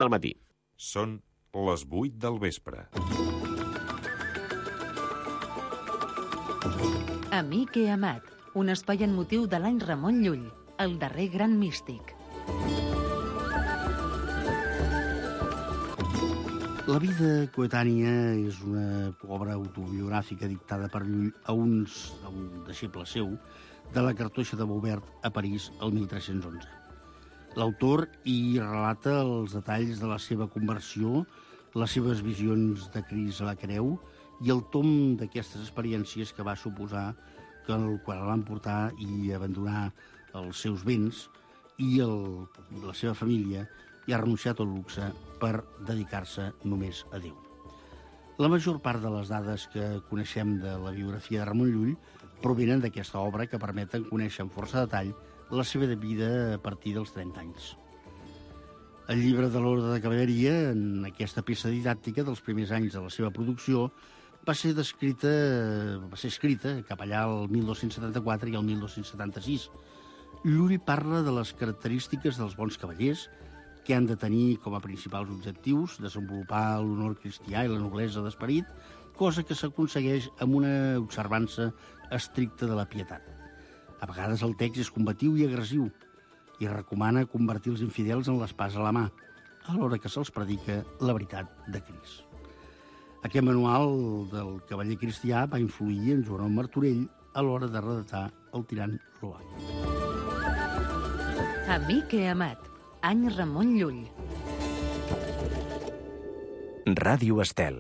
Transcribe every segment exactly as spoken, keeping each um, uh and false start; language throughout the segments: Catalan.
del matí. Són les vuit del vespre. Amic i amat, un espai en motiu de l'any Ramon Llull, el darrer gran místic. La vida coetània és una obra autobiogràfica dictada per Llull a, uns, a un deixeble seu de la cartoixa de Maubert a París el mil tres-cents onze. L'autor hi relata els detalls de la seva conversió, les seves visions de Crist a la creu i el tom d'aquestes experiències que va suposar que el, quan el van portar i abandonar els seus béns i el, la seva família i ha renunciat al luxe per dedicar-se només a Déu. La major part de les dades que coneixem de la biografia de Ramon Llull provenen d'aquesta obra que permeten conèixer amb força detall la seva vida a partir dels trenta anys. El llibre de l'Orde de Cavalleria, en aquesta peça didàctica dels primers anys de la seva producció, va ser descrita, va ser escrita cap allà el mil dos-cents setanta-quatre i el mil dos-cents setanta-sis. Llull parla de les característiques dels bons cavallers, que han de tenir com a principals objectius desenvolupar l'honor cristià i la noblesa d'esperit, cosa que s'aconsegueix amb una observança estricta de la pietat. A vegades el text és combatiu i agressiu i recomana convertir els infidels en l'espasa a la mà, alhora que se'ls predica la veritat de Crist. Aquest manual del cavaller cristià va influir en Joan Martorell a l'hora de redactar el tirant Loà. Amic i amat, any Ramon Llull. Ràdio Estel.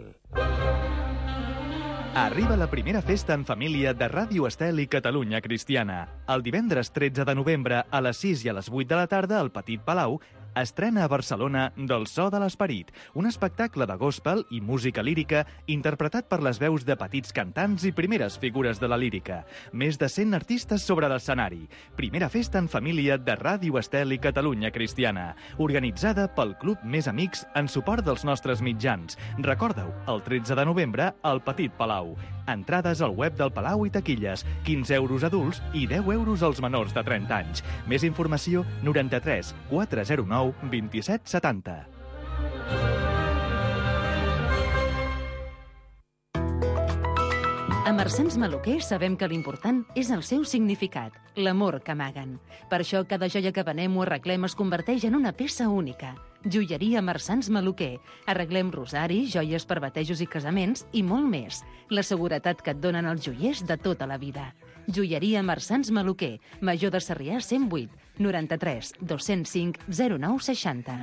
Arriba la primera festa en família de Ràdio Estel i Catalunya Cristiana. El divendres tretze de novembre a les sis i a les vuit de la tarda al Petit Palau estrena a Barcelona Del so de l'esperit, un espectacle de gospel i música lírica interpretat per les veus de petits cantants i primeres figures de la lírica. Més de cent artistes sobre l'escenari. Primera festa en família de Ràdio Estel i Catalunya Cristiana, organitzada pel Club Més Amics en suport dels nostres mitjans. Recorda-ho, el tretze de novembre al Petit Palau. Entrades al web del Palau i taquilles, quinze euros adults i deu euros als menors de trenta anys. Més informació, noranta-tres quatre zero nou vint-i-set setanta. A Marsans Maluquer sabem que l'important és el seu significat, l'amor que amaguen. Per això cada joia que venem o arreglem es converteix en una peça única. Joieria Marsans Maluquer. Arreglem rosari, joies per batejos i casaments i molt més. La seguretat que et donen els joiers de tota la vida. Joieria Marsans Maluquer, Major de Sarrià cent vuit, noranta-tres dos-cents cinc zero nou seixanta.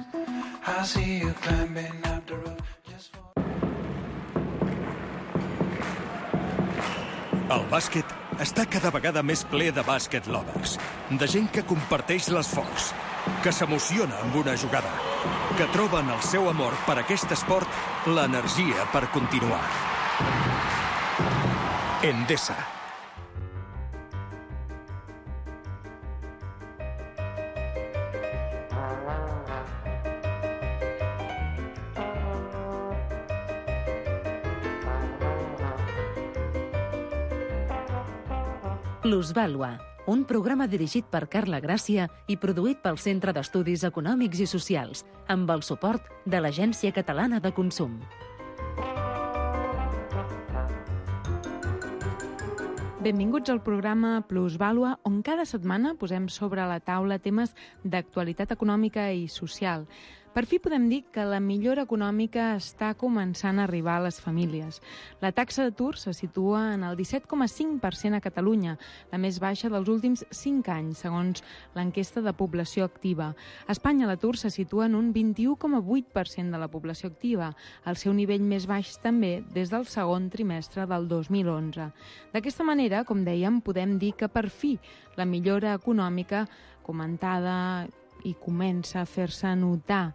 El bàsquet està cada vegada més ple de bàsquet lovers, de gent que comparteix l'esforç, que s'emociona amb una jugada, que troben el seu amor per aquest esport, l'energia per continuar. Endesa. Plusvàlua, un programa dirigit per Carla Gràcia i produït pel Centre d'Estudis Econòmics i Socials, amb el suport de l'Agència Catalana de Consum. Benvinguts al programa Plusvàlua, on cada setmana posem sobre la taula temes d'actualitat econòmica i social. Per fi podem dir que la millora econòmica està començant a arribar a les famílies. La taxa d'atur se situa en el disset coma cinc per cent a Catalunya, la més baixa dels últims cinc anys, segons l'enquesta de població activa. A Espanya l'atur se situa en un vint-i-u coma vuit per cent de la població activa, el seu nivell més baix també des del segon trimestre del dos mil onze. D'aquesta manera, com dèiem, podem dir que per fi la millora econòmica comentada i comença a fer-se notar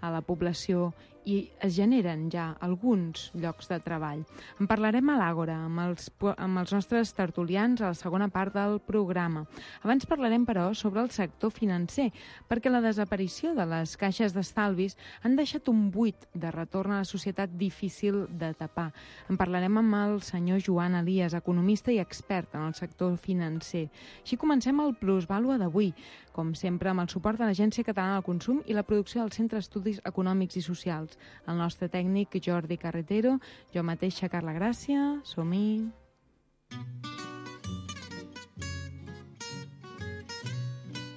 a la població i es generen ja alguns llocs de treball. En parlarem a l'Àgora, amb els, amb els nostres tertulians a la segona part del programa. Abans parlarem, però, sobre el sector financer, perquè la desaparició de les caixes d'estalvis han deixat un buit de retorn a la societat difícil de tapar. En parlarem amb el senyor Joan Elias, economista i expert en el sector financer. Així comencem el Plusvàlua d'avui, com sempre amb el suport de l'Agència Catalana del Consum i la producció del Centre d'Estudis Econòmics i Socials. El nostre tècnic Jordi Carretero, jo mateixa Carla Gràcia, som-hi.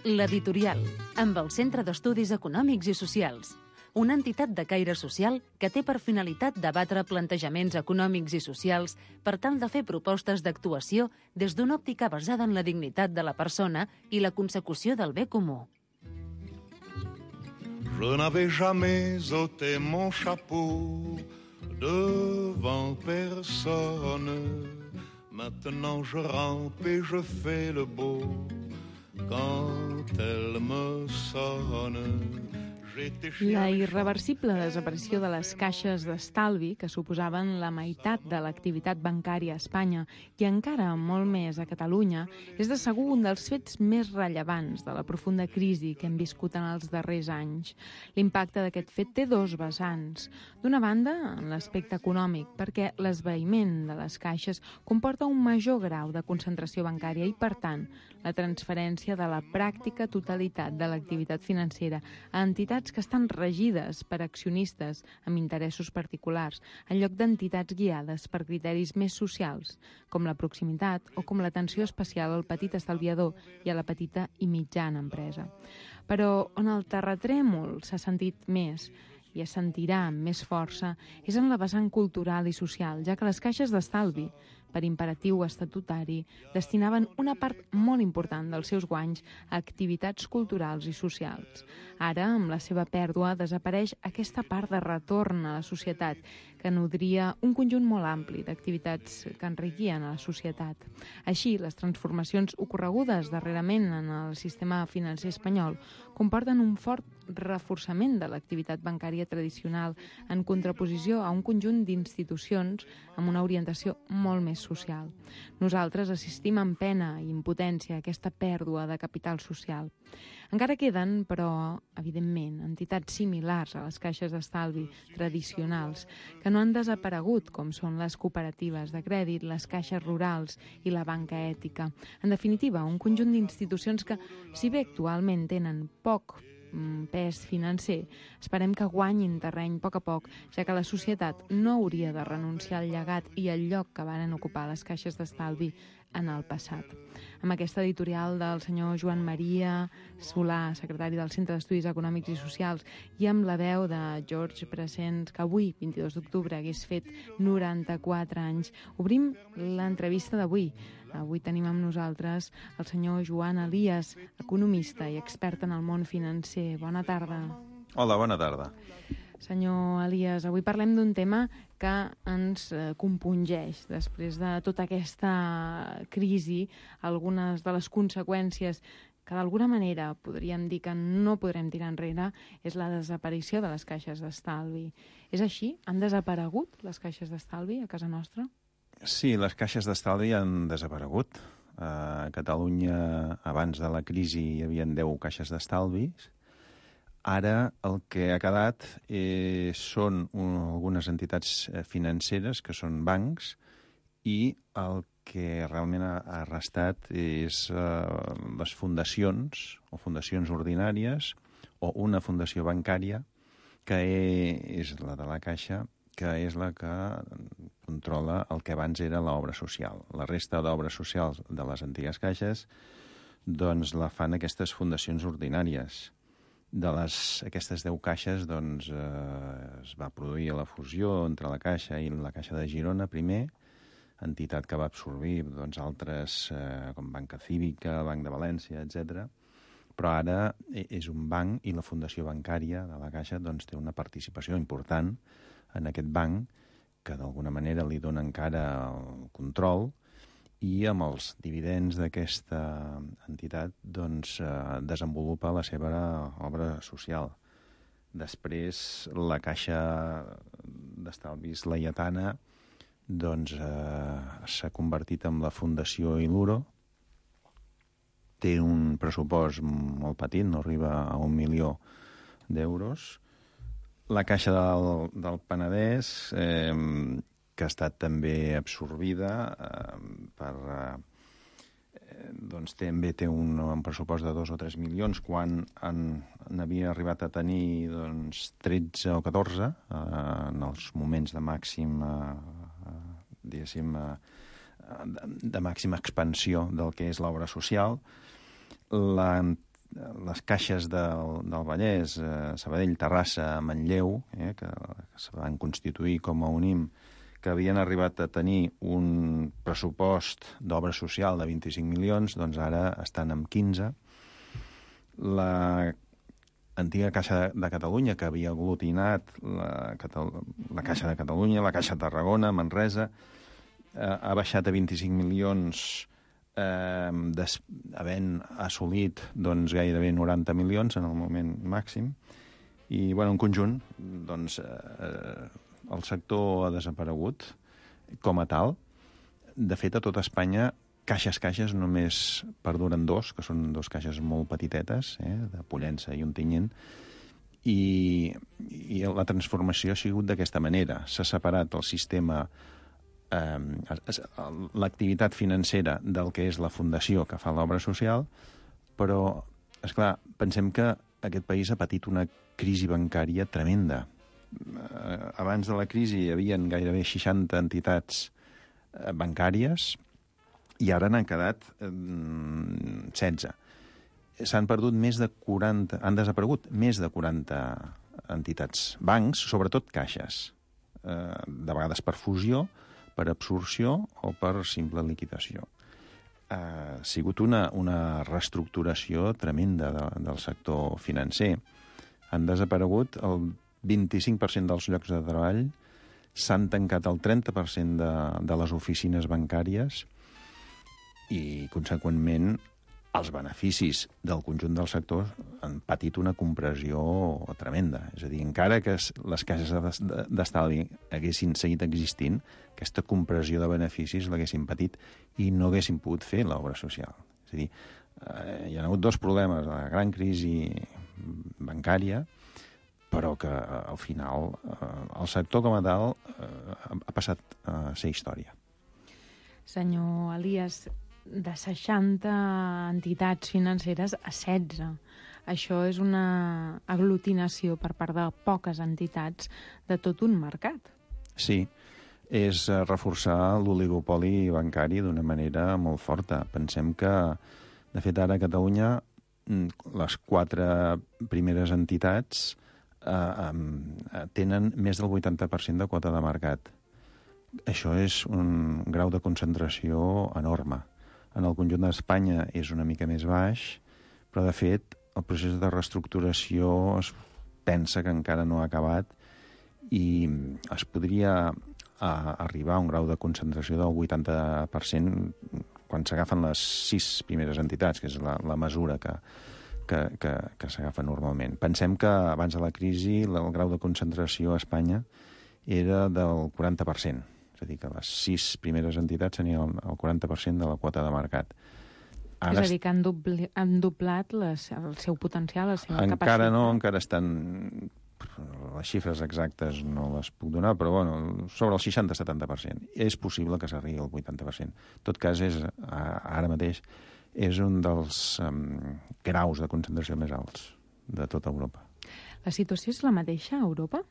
L'Editorial, amb el Centre d'Estudis Econòmics i Socials, una entitat de caire social que té per finalitat debatre plantejaments econòmics i socials per tal de fer propostes d'actuació des d'una òptica basada en la dignitat de la persona i la consecució del bé comú. Je n'avais jamais ôté mon chapeau devant personne. Maintenant je rampe et je fais le beau quand elle me sonne. La irreversible desaparició de les caixes d'estalvi, que suposaven la meitat de l'activitat bancària a Espanya i encara molt més a Catalunya, és de segur un dels fets més rellevants de la profunda crisi que hem viscut en els darrers anys. L'impacte d'aquest fet té dos vessants. D'una banda, en l'aspecte econòmic, perquè l'esvaïment de les caixes comporta un major grau de concentració bancària i, per tant, la transferència de la pràctica totalitat de l'activitat financera a entitats que estan regides per accionistes amb interessos particulars, en lloc d'entitats guiades per criteris més socials, com la proximitat o com l'atenció especial al petit estalviador i a la petita i mitjana empresa. Però on el terratrèmol s'ha sentit més i es sentirà amb més força és en la vessant cultural i social, ja que les caixes d'estalvi, per imperatiu estatutari, destinaven una part molt important dels seus guanys a activitats culturals i socials. Ara, amb la seva pèrdua, desapareix aquesta part de retorn a la societat, que nodria un conjunt molt ampli d'activitats que enriquien a la societat. Així, les transformacions ocorregudes darrerament en el sistema financer espanyol comporten un fort reforçament de l'activitat bancària tradicional en contraposició a un conjunt d'institucions amb una orientació molt més social. Nosaltres assistim amb pena i impotència a aquesta pèrdua de capital social. Encara queden, però, evidentment, entitats similars a les caixes d'estalvi tradicionals que no han desaparegut, com són les cooperatives de crèdit, les caixes rurals i la banca ètica. En definitiva, un conjunt d'institucions que, si bé actualment tenen poc pes financer, esperem que guanyin terreny a poc a poc, ja que la societat no hauria de renunciar al llegat i al lloc que varen ocupar les caixes d'estalvi en el passat. Amb aquesta editorial del senyor Joan Maria Solà, secretari del Centre d'Estudis Econòmics i Socials, i amb la veu de George Brassens, que avui, vint-i-dos d'octubre, hagués fet noranta-quatre anys, obrim l'entrevista d'avui. Avui tenim amb nosaltres el senyor Joan Elias, economista i expert en el món financer. Bona tarda. Hola, bona tarda. Senyor Elias, avui parlem d'un tema que ens compungeix després de tota aquesta crisi, algunes de les conseqüències que d'alguna manera podríem dir que no podrem tirar enrere és la desaparició de les caixes d'estalvi. És així? Han desaparegut les caixes d'estalvi a casa nostra? Sí, les caixes d'estalvi han desaparegut. A Catalunya, abans de la crisi, hi havia deu caixes d'estalvis. Ara el que ha quedat eh, són un, algunes entitats financeres, que són bancs, i el que realment ha, ha restat és eh, les fundacions, o fundacions ordinàries, o una fundació bancària, que és la de la Caixa, que és la que controla el que abans era l'obra social. La resta d'obres socials de les antigues caixes doncs la fan aquestes fundacions ordinàries. De les, aquestes deu caixes doncs, eh, es va produir la fusió entre la Caixa i la Caixa de Girona primer, entitat que va absorbir doncs, altres eh, com Banca Cívica, Banc de València, etcètera. Però ara és un banc i la fundació bancària de la Caixa doncs, té una participació important en aquest banc, que d'alguna manera li dona encara el control, i amb els dividends d'aquesta entitat doncs, eh, desenvolupa la seva obra social. Després, la Caixa d'Estalvis Laietana doncs, eh, s'ha convertit en la Fundació Iluro. Té un pressupost molt petit, no arriba a un milió d'euros. La Caixa del, del Penedès, eh, que ha estat també absorbida eh, per... Eh, doncs també té un, un pressupost de dos o tres milions, quan en, n'havia arribat a tenir doncs, tretze o catorze eh, en els moments de màxim, eh, diguéssim, eh, de, de màxima expansió del que és l'obra social. La, les caixes del, del Vallès, eh, Sabadell, Terrassa, Manlleu, eh, que, que se van constituir com a UNIM, que havien arribat a tenir un pressupost d'obra social de vint-i-cinc milions, doncs ara estan amb quinze. La antiga Caixa de Catalunya, que havia aglutinat la, la Caixa de Catalunya, la Caixa de Tarragona, Manresa, eh, ha baixat a vint-i-cinc milions, eh, des, havent assolit doncs, gairebé noranta milions en el moment màxim. I, bueno, en conjunt, doncs, eh, el sector ha desaparegut com a tal. De fet, a tota Espanya, caixes, caixes, només perduren dos, que són dos caixes molt petitetes, eh, de Pollença i Ontinyent, i, i la transformació ha sigut d'aquesta manera. S'ha separat el sistema, eh, l'activitat financera del que és la fundació que fa l'obra social, però, esclar, pensem que aquest país ha patit una crisi bancària tremenda. Abans de la crisi hi havia gairebé seixanta entitats bancàries i ara n'han quedat eh, setze. S'han perdut més de quaranta, han desaparegut més de quaranta entitats, bancs, sobretot caixes, eh, de vegades per fusió, per absorció o per simple liquidació. Eh, ha sigut una, una reestructuració tremenda de, del sector financer. Han desaparegut el vint-i-cinc per cent dels llocs de treball, s'han tancat el trenta per cent de, de les oficines bancàries i, conseqüentment, els beneficis del conjunt del sector han patit una compressió tremenda. És a dir, encara que les caixes d'estalvi haguessin seguit existint, aquesta compressió de beneficis l'haguessin patit i no haguessin pogut fer l'obra social. És a dir, eh, hi ha hagut dos problemes, la gran crisi bancària, però que al final eh, el sector com a tal eh, ha passat a ser història. Senyor Elias, de seixanta entitats financeres a setze. Això és una aglutinació per part de poques entitats de tot un mercat. Sí, és reforçar l'oligopoli bancari d'una manera molt forta. Pensem que, de fet, ara a Catalunya les quatre primeres entitats eh, tenen més del vuitanta per cent de quota de mercat. Això és un grau de concentració enorme. En el conjunt d'Espanya és una mica més baix, però, de fet, el procés de reestructuració es pensa que encara no ha acabat i es podria a, arribar a un grau de concentració del vuitanta per cent quan s'agafen les sis primeres entitats, que és la, la mesura que, que, que, que s'agafa normalment. Pensem que abans de la crisi el grau de concentració a Espanya era del quaranta per cent. És a dir, que les sis primeres entitats tenien el quaranta per cent de la quota de mercat. Ara és a dir, que han, dobli, han doblat les, el seu potencial, la seva encara capacitat. Encara no, encara estan... Les xifres exactes no les puc donar, però bueno, sobre el seixanta a setanta per cent. És possible que s'arribi al vuitanta per cent. En tot cas, és, ara mateix és un dels um, graus de concentració més alts de tota Europa. La situació és la mateixa a Europa?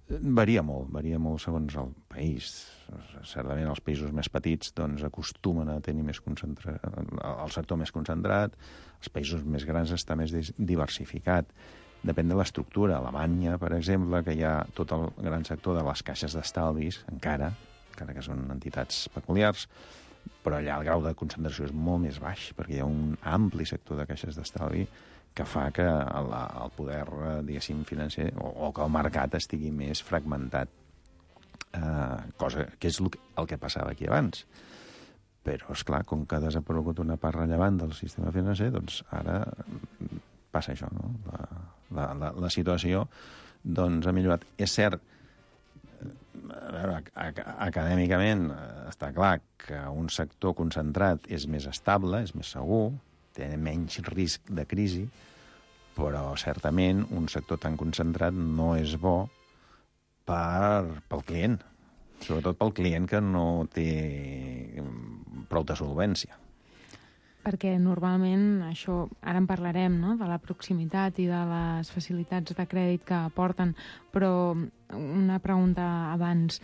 Varia molt, varia molt segons el país. Certament els països més petits doncs, acostumen a tenir més concentra... el sector més concentrat, els països més grans està més diversificat. Depèn de l'estructura. A Alemanya, per exemple, que hi ha tot el gran sector de les caixes d'estalvis, encara, encara que són entitats peculiars, però allà el grau de concentració és molt més baix, perquè hi ha un ampli sector de caixes d'estalvi que fa que el, el poder, diguéssim, financer, o, o que el mercat estigui més fragmentat, eh, cosa que és el, el que passava aquí abans. Però, esclar, com que ha desaparegut una part rellevant del sistema financer, doncs ara passa això, no? La, la, la, la situació doncs, ha millorat. És cert, a veure, acadèmicament està clar que un sector concentrat és més estable, és més segur, té menys risc de crisi, però certament un sector tan concentrat no és bo per, pel client, sobretot pel client que no té prou de solvència. Perquè normalment, això, ara en parlarem, no?, de la proximitat i de les facilitats de crèdit que aporten, però una pregunta abans,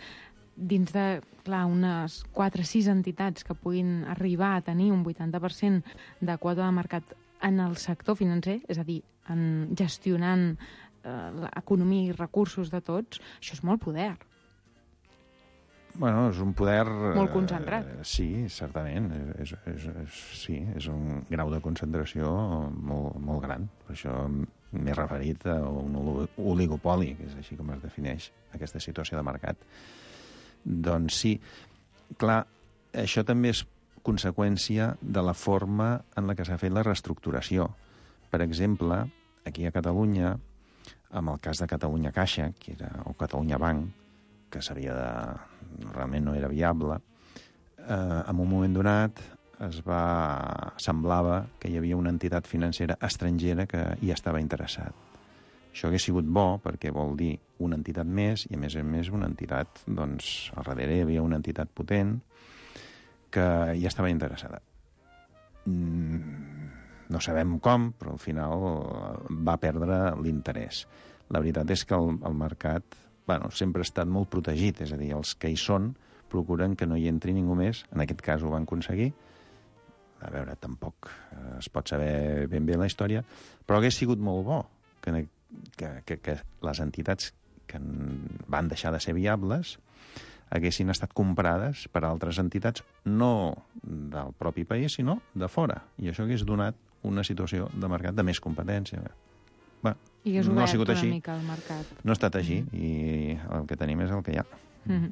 dins de, clar, unes quatre o sis entitats que puguin arribar a tenir un vuitanta per cent de quota de mercat en el sector financer, és a dir, en gestionant eh, l'economia i recursos de tots, això és molt poder. Bueno, és un poder... Molt concentrat. Eh, sí, certament. És, és, és, sí, és un grau de concentració molt, molt gran. Per això m'he referit a un oligopoli, que és així com es defineix aquesta situació de mercat. Doncs sí, clar, això també és conseqüència de la forma en la que s'ha fet la reestructuració. Per exemple, aquí a Catalunya, amb el cas de Catalunya Caixa, que era, o Catalunya Banc, que s'havia de... realment no era viable, eh, en un moment donat es va... semblava que hi havia una entitat financera estrangera que hi estava interessat. Això hauria sigut bo perquè vol dir una entitat més i, a més a més, una entitat, doncs, al darrere hi havia una entitat potent que hi estava interessada. Mm, no sabem com, però al final va perdre l'interès. La veritat és que el, el mercat bueno, sempre ha estat molt protegit, és a dir, els que hi són procuren que no hi entri ningú més. En aquest cas ho van aconseguir. A veure, tampoc es pot saber ben bé la història, però hagués sigut molt bo que, que, que, que les entitats que van deixar de ser viables haguessin estat comprades per altres entitats, no del propi país, sinó de fora. I això hagués donat una situació de mercat de més competència. Bé, I és no ha obert sigut una així. mica el mercat. No ha estat així, mm -hmm. i el que tenim és el que hi ha. Mm -hmm.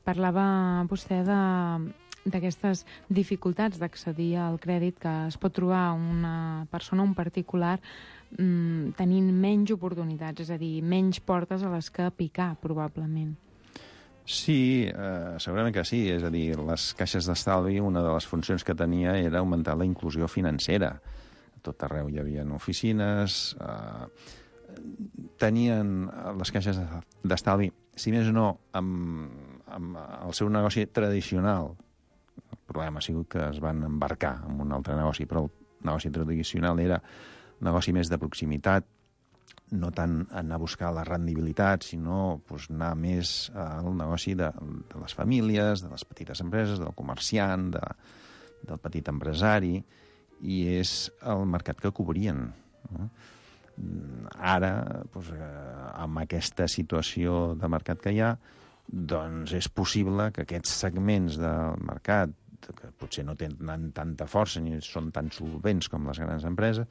Parlava vostè de d'aquestes dificultats d'accedir al crèdit que es pot trobar una persona, un particular, mmm, tenint menys oportunitats, és a dir, menys portes a les que picar, probablement. Sí, eh, segurament que sí. És a dir, les caixes d'estalvi, una de les funcions que tenia era augmentar la inclusió financera. A tot arreu hi havia oficines, eh, tenien les caixes d'estalvi, si més no, amb, amb el seu negoci tradicional. El problema ha sigut que es van embarcar en un altre negoci, però el negoci tradicional era un negoci més de proximitat, no tant anar a buscar la rendibilitat, sinó pues, anar més al negoci de, de les famílies, de les petites empreses, del comerciant, de, del petit empresari, i és el mercat que cobrien. No? Ara, pues, amb aquesta situació de mercat que hi ha, doncs és possible que aquests segments del mercat, que potser no tenen tanta força ni són tan solvents com les grans empreses,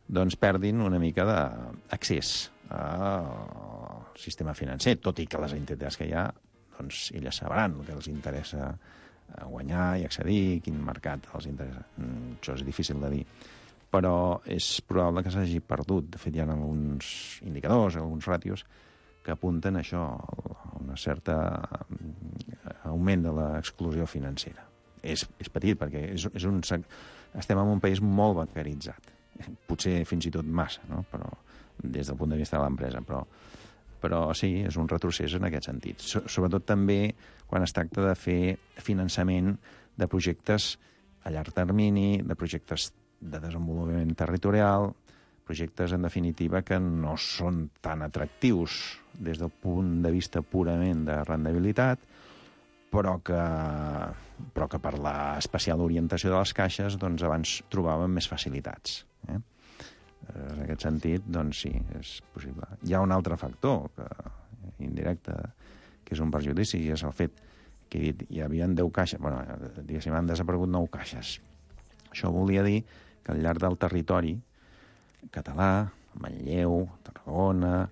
doncs perdin una mica d'accés al sistema financer, tot i que les entitats que hi ha, doncs elles sabran el que els interessa guanyar i accedir, quin mercat els interessa. Això és difícil de dir, però és probable que s'hagi perdut. De fet, hi ha alguns indicadors, alguns ràtios, que apunten a això, a un cert augment de l'exclusió financera. És, és petit, perquè és, és un, estem en un país molt bancaritzat. Potser fins i tot massa, no? Però, des del punt de vista de l'empresa, però, però sí, és un retrocés en aquest sentit. So, sobretot també quan es tracta de fer finançament de projectes a llarg termini, de projectes de desenvolupament territorial, projectes, en definitiva, que no són tan atractius des del punt de vista purament de rendibilitat, però que, però que per l'especial orientació de les caixes doncs, abans trobàvem més facilitats. Eh? En aquest sentit, doncs sí, és possible. Hi ha un altre factor que, indirecte, que és un perjudici, i és el fet que he dit, hi havia deu caixes, bueno, diguéssim, han desaparegut nou caixes. Això volia dir que al llarg del territori català, Manlleu, Tarragona,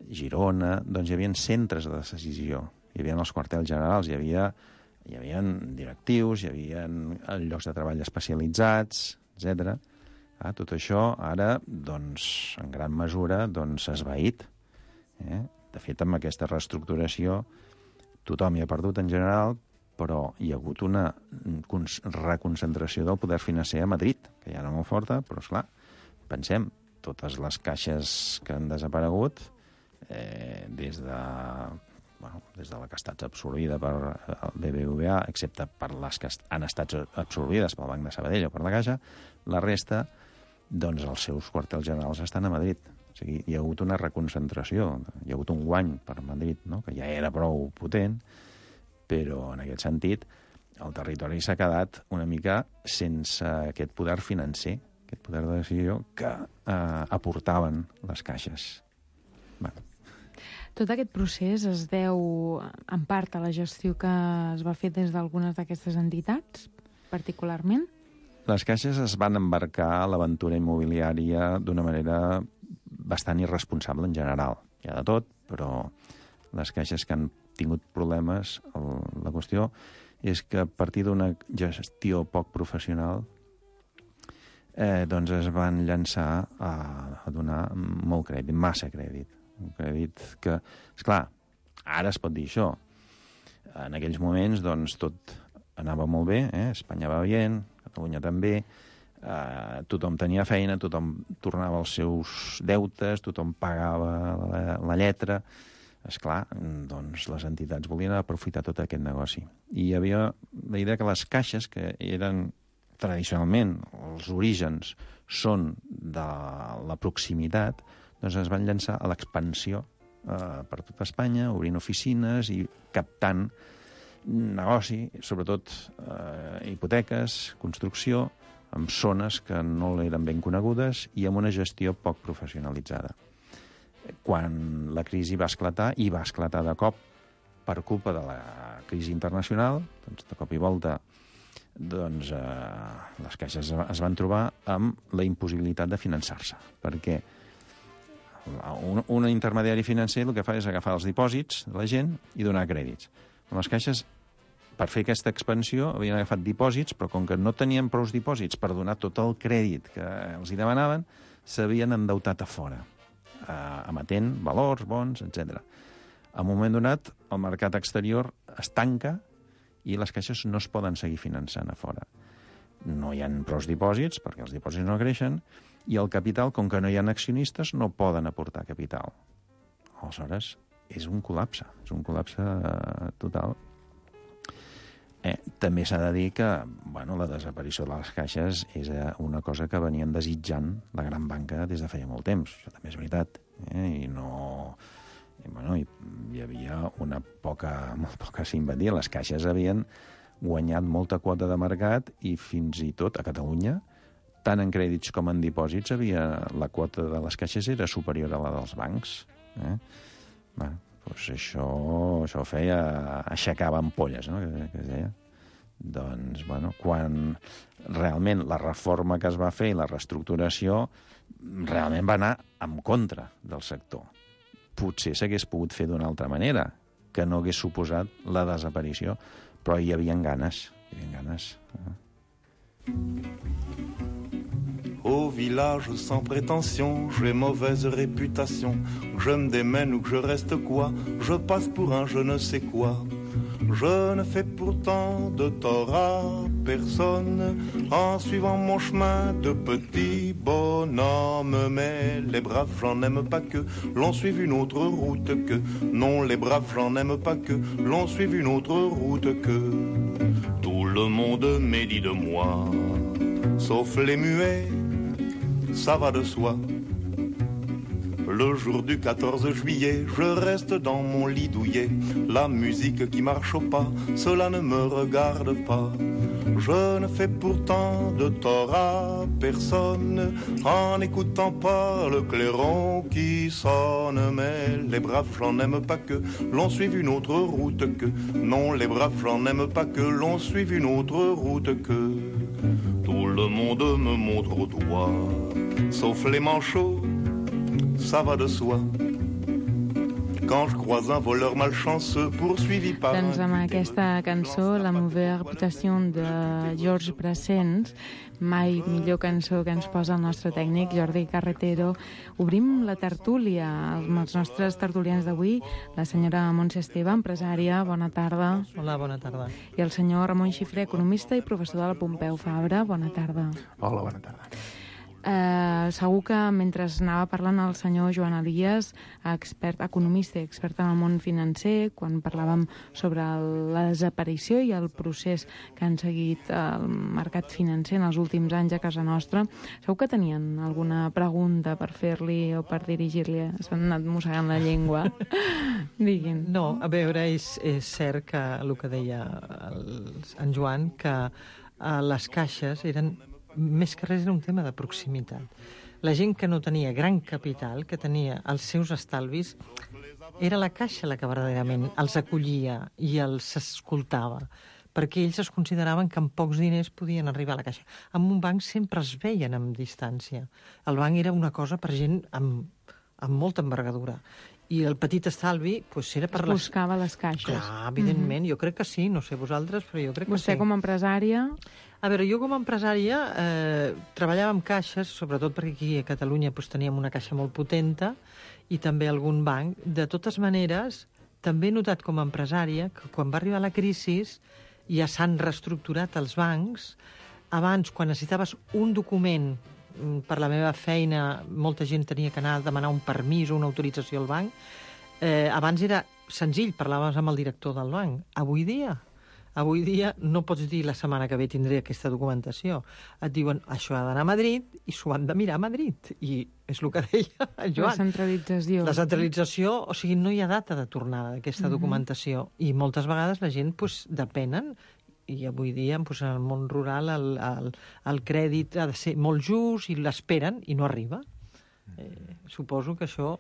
Girona, doncs hi havia centres de decisió. Hi havia els quartels generals, hi havia, hi havia directius, hi havia llocs de treball especialitzats, etcètera, Ah, tot això ara, doncs, en gran mesura, doncs, s'ha esvaït. Eh? De fet, amb aquesta reestructuració, tothom hi ha perdut en general, però hi ha hagut una reconcentració del poder financer a Madrid, que ja era molt forta, però, esclar, pensem, totes les caixes que han desaparegut, eh, des de, bueno, des de la que ha estat absorbida per el B B V A, excepte per les que han estat absorbides pel Banc de Sabadell o per la Caixa, la resta, doncs els seus quartels generals estan a Madrid. O sigui, hi ha hagut una reconcentració, hi ha hagut un guany per Madrid, no? Que ja era prou potent, però en aquest sentit el territori s'ha quedat una mica sense aquest poder financer, aquest poder de decisió que eh, aportaven les caixes. Bueno. Tot aquest procés es deu en part a la gestió que es va fer des d'algunes d'aquestes entitats, particularment? Les caixes es van embarcar a l'aventura immobiliària d'una manera bastant irresponsable en general. Hi ha de tot, però les caixes que han tingut problemes, el, la qüestió és que a partir d'una gestió poc professional eh, doncs es van llançar a, a donar molt crèdit, massa crèdit. Un crèdit que, esclar, ara es pot dir això. En aquells moments, doncs, tot anava molt bé, eh? Espanya va bé, Catalunya també, eh, tothom tenia feina, tothom tornava als seus deutes, tothom pagava la, la lletra. Esclar, doncs les entitats volien aprofitar tot aquest negoci. I hi havia la idea que les caixes, que eren tradicionalment, els orígens són de la proximitat, doncs es van llançar a l'expansió eh, per tot Espanya, obrint oficines i captant negoci, sobretot eh, hipoteques, construcció, en zones que no eren ben conegudes i amb una gestió poc professionalitzada. Quan la crisi va esclatar, i va esclatar de cop per culpa de la crisi internacional, doncs de cop i volta doncs, eh, les caixes es van trobar amb la impossibilitat de finançar-se, perquè un, un intermediari financer el que fa és agafar els dipòsits de la gent i donar crèdits. Les caixes, per fer aquesta expansió, havien agafat dipòsits, però com que no tenien prou dipòsits per donar tot el crèdit que els hi demanaven, s'havien endeutat a fora, emetent valors, bons, etcètera. A un moment donat, el mercat exterior es tanca i les caixes no es poden seguir finançant a fora. No hi ha prou dipòsits, perquè els dipòsits no creixen, i el capital, com que no hi ha accionistes, no poden aportar capital. Aleshores, és un col·lapse, és un col·lapse total. Eh, també s'ha de dir que bueno, la desaparició de les caixes és una cosa que venien desitjant la gran banca des de feia molt temps. Això també és veritat. Eh? I no... I, bueno, hi, hi havia una poca, molt poca simpatia. Les caixes havien guanyat molta quota de mercat i fins i tot a Catalunya, tant en crèdits com en dipòsits, havia, la quota de les caixes era superior a la dels bancs. Eh? Bueno, doncs això, això feia... aixecava ampolles, no?, que, que es deia. Doncs, bueno, quan realment la reforma que es va fer i la reestructuració realment va anar en contra del sector. Potser s'hagués pogut fer d'una altra manera, que no hagués suposat la desaparició, però hi havia ganes, hi havia ganes. Au village sans prétention, j'ai mauvaise réputation. Que je me démène ou que je reste quoi, je passe pour un je ne sais quoi. Je ne fais pourtant de tort à personne en suivant mon chemin de petit bonhomme. Mais les braves, j'en aime pas que l'on suive une autre route que. Non, les braves, j'en aime pas que l'on suive une autre route que. Tout le monde médit de moi, sauf les muets, ça va de soi. Le jour du quatorze juillet, je reste dans mon lit douillet. La musique qui marche au pas, cela ne me regarde pas. Je ne fais pourtant de tort à personne en n'écoutant pas le clairon qui sonne. Mais les braves, j'en aime pas que l'on suive une autre route que. Non, les braves, j'en aime pas que l'on suive une autre route que. Tout le monde me montre au doigt, sauf les manchots, ça va de soi. quand je croise un voleur malchanceux poursuivi par un... Doncs amb aquesta cançó, La mauvaise réputation de Georges Brassens, mai millor cançó que ens posa el nostre tècnic Jordi Carretero, obrim la tertúlia amb els nostres tertulians d'avui, la senyora Montse Esteve, empresària, bona tarda. Hola, bona tarda. I el senyor Ramon Xifré, economista i professor de la Pompeu Fabra, bona tarda. Hola, bona tarda. Eh, segur que mentre anava parlant el senyor Joan Elias, expert, economista i expert en el món financer, quan parlàvem sobre el, la desaparició i el procés que han seguit el mercat financer en els últims anys a casa nostra, segur que tenien alguna pregunta per fer-li o per dirigir-li? S'han anat mossegant la llengua. Diguin. No, a veure, és, és cert que el que deia el, en Joan, que eh, les caixes eren més que res era un tema de proximitat. La gent que no tenia gran capital, que tenia els seus estalvis, era la caixa la que verdaderament els acollia i els escoltava, perquè ells es consideraven que amb pocs diners podien arribar a la caixa. Amb un banc sempre es veien amb distància. El banc era una cosa per gent amb, amb molta envergadura. I el petit estalvi pues, era per... Es buscava les caixes. Clar, evidentment, mm-hmm. Jo crec que sí, no sé vosaltres, però jo crec que Vostè sí. com a empresària... A veure, jo com a empresària eh, treballava amb caixes, sobretot perquè aquí a Catalunya pues, teníem una caixa molt potenta i també algun banc. De totes maneres, també he notat com a empresària que quan va arribar la crisi ja s'han reestructurat els bancs. Abans, quan necessitaves un document per la meva feina, molta gent tenia que anar a demanar un permís o una autorització al banc. Eh, abans era senzill, parlaves amb el director del banc. Avui dia, avui dia no pots dir la setmana que ve tindré aquesta documentació. Et diuen, això ha d'anar a Madrid i s'ho han de mirar a Madrid. I és el que deia el Joan. La centralització. La centralització, o sigui, no hi ha data de tornada d'aquesta uh-huh. documentació. I moltes vegades la gent pues, depenen. I avui dia, doncs, en el món rural, el, el, el crèdit ha de ser molt just i l'esperen i no arriba. Eh, suposo que això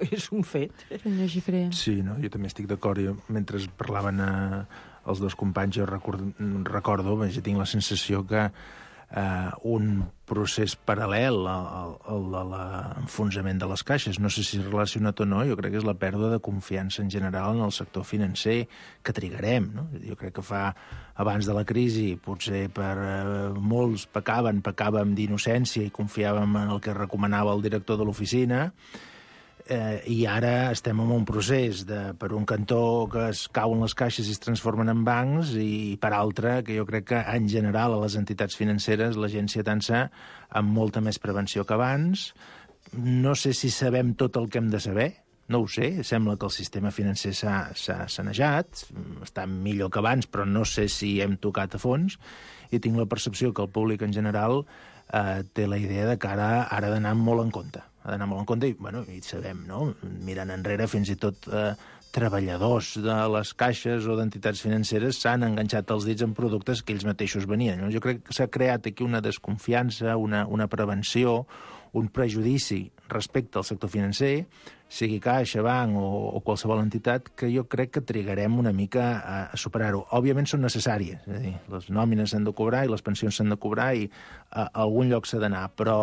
és un fet. Senyor Xifré. Sí, no? Jo també estic d'acord. Jo, mentre parlaven eh, els dos companys, jo record, recordo, jo tinc la sensació que eh, un procés paral·lel al, al de l'enfonsament de les caixes, no sé si és relacionat o no, jo crec que és la pèrdua de confiança en general en el sector financer que trigarem, no? Jo crec que fa abans de la crisi, potser per eh, molts pecaven, pecàvem d'innocència i confiàvem en el que recomanava el director de l'oficina, eh, i ara estem en un procés de, per un cantó que es cauen les caixes i es transformen en bancs, i per altre que jo crec que en general a les entitats financeres la gent s'hi atança amb molta més prevenció que abans. No sé si sabem tot el que hem de saber, no ho sé, sembla que el sistema financer s'ha sanejat, està millor que abans, però no sé si hem tocat a fons, i tinc la percepció que el públic en general eh, té la idea de que ara ha d'anar molt en compte. Ha d'anar molt en compte i, bueno, i sabem, no? Mirant enrere, fins i tot eh, treballadors de les caixes o d'entitats financeres s'han enganxat els dits en productes que ells mateixos venien. No? Jo crec que s'ha creat aquí una desconfiança, una, una prevenció, un prejudici respecte al sector financer, sigui caixa, banc o, o qualsevol entitat, que jo crec que trigarem una mica a, a superar-ho. Òbviament són necessàries, és a dir, les nòmines s'han de cobrar i les pensions s'han de cobrar i a, a algun lloc s'ha d'anar, però,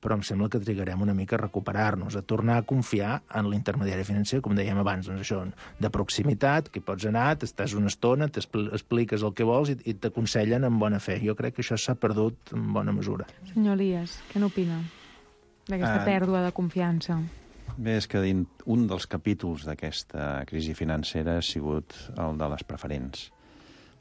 però em sembla que trigarem una mica a recuperar-nos, a tornar a confiar en l'intermediari financer, com dèiem abans, doncs això, de proximitat, que pots anar, t'estàs una estona, t'expliques el que vols i, i t'aconsellen amb bona fe. Jo crec que això s'ha perdut en bona mesura. Senyor Elias, què n'opina d'aquesta uh, pèrdua de confiança? Bé, és que un dels capítols d'aquesta crisi financera ha sigut el de les preferents.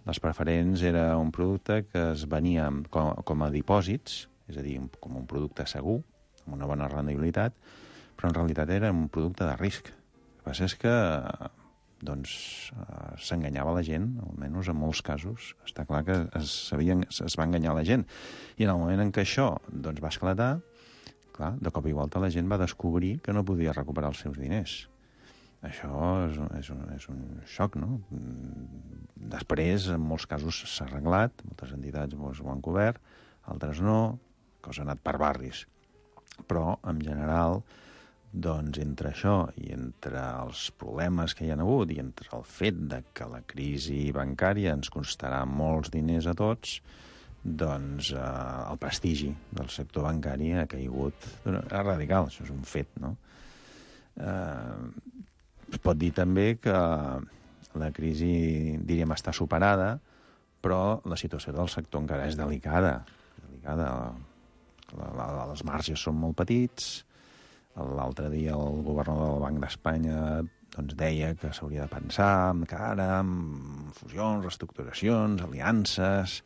Les preferents era un producte que es venia com, com a dipòsits, és a dir, com un producte segur, amb una bona rendibilitat, però en realitat era un producte de risc. El que passa és que doncs, s'enganyava la gent, almenys en molts casos. Està clar que es, sabien, es va enganyar la gent. I en el moment en què això doncs, va esclatar, clar, de cop i volta la gent va descobrir que no podia recuperar els seus diners. Això és, és, un, és un xoc, no? Després, en molts casos s'ha arreglat, moltes entitats ho han cobert, altres no, cosa ha anat per barris. Però, en general, doncs, entre això i entre els problemes que hi ha hagut i entre el fet de que la crisi bancària ens costarà molts diners a tots, doncs eh, el prestigi del sector bancari ha caigut radical, això és un fet, no? Eh, es pot dir també que la crisi, diríem, està superada, però la situació del sector encara és delicada. delicada. La, la, els marges són molt petits. L'altre dia el governador del Banc d'Espanya doncs, deia que s'hauria de pensar encara en fusions, reestructuracions, aliances,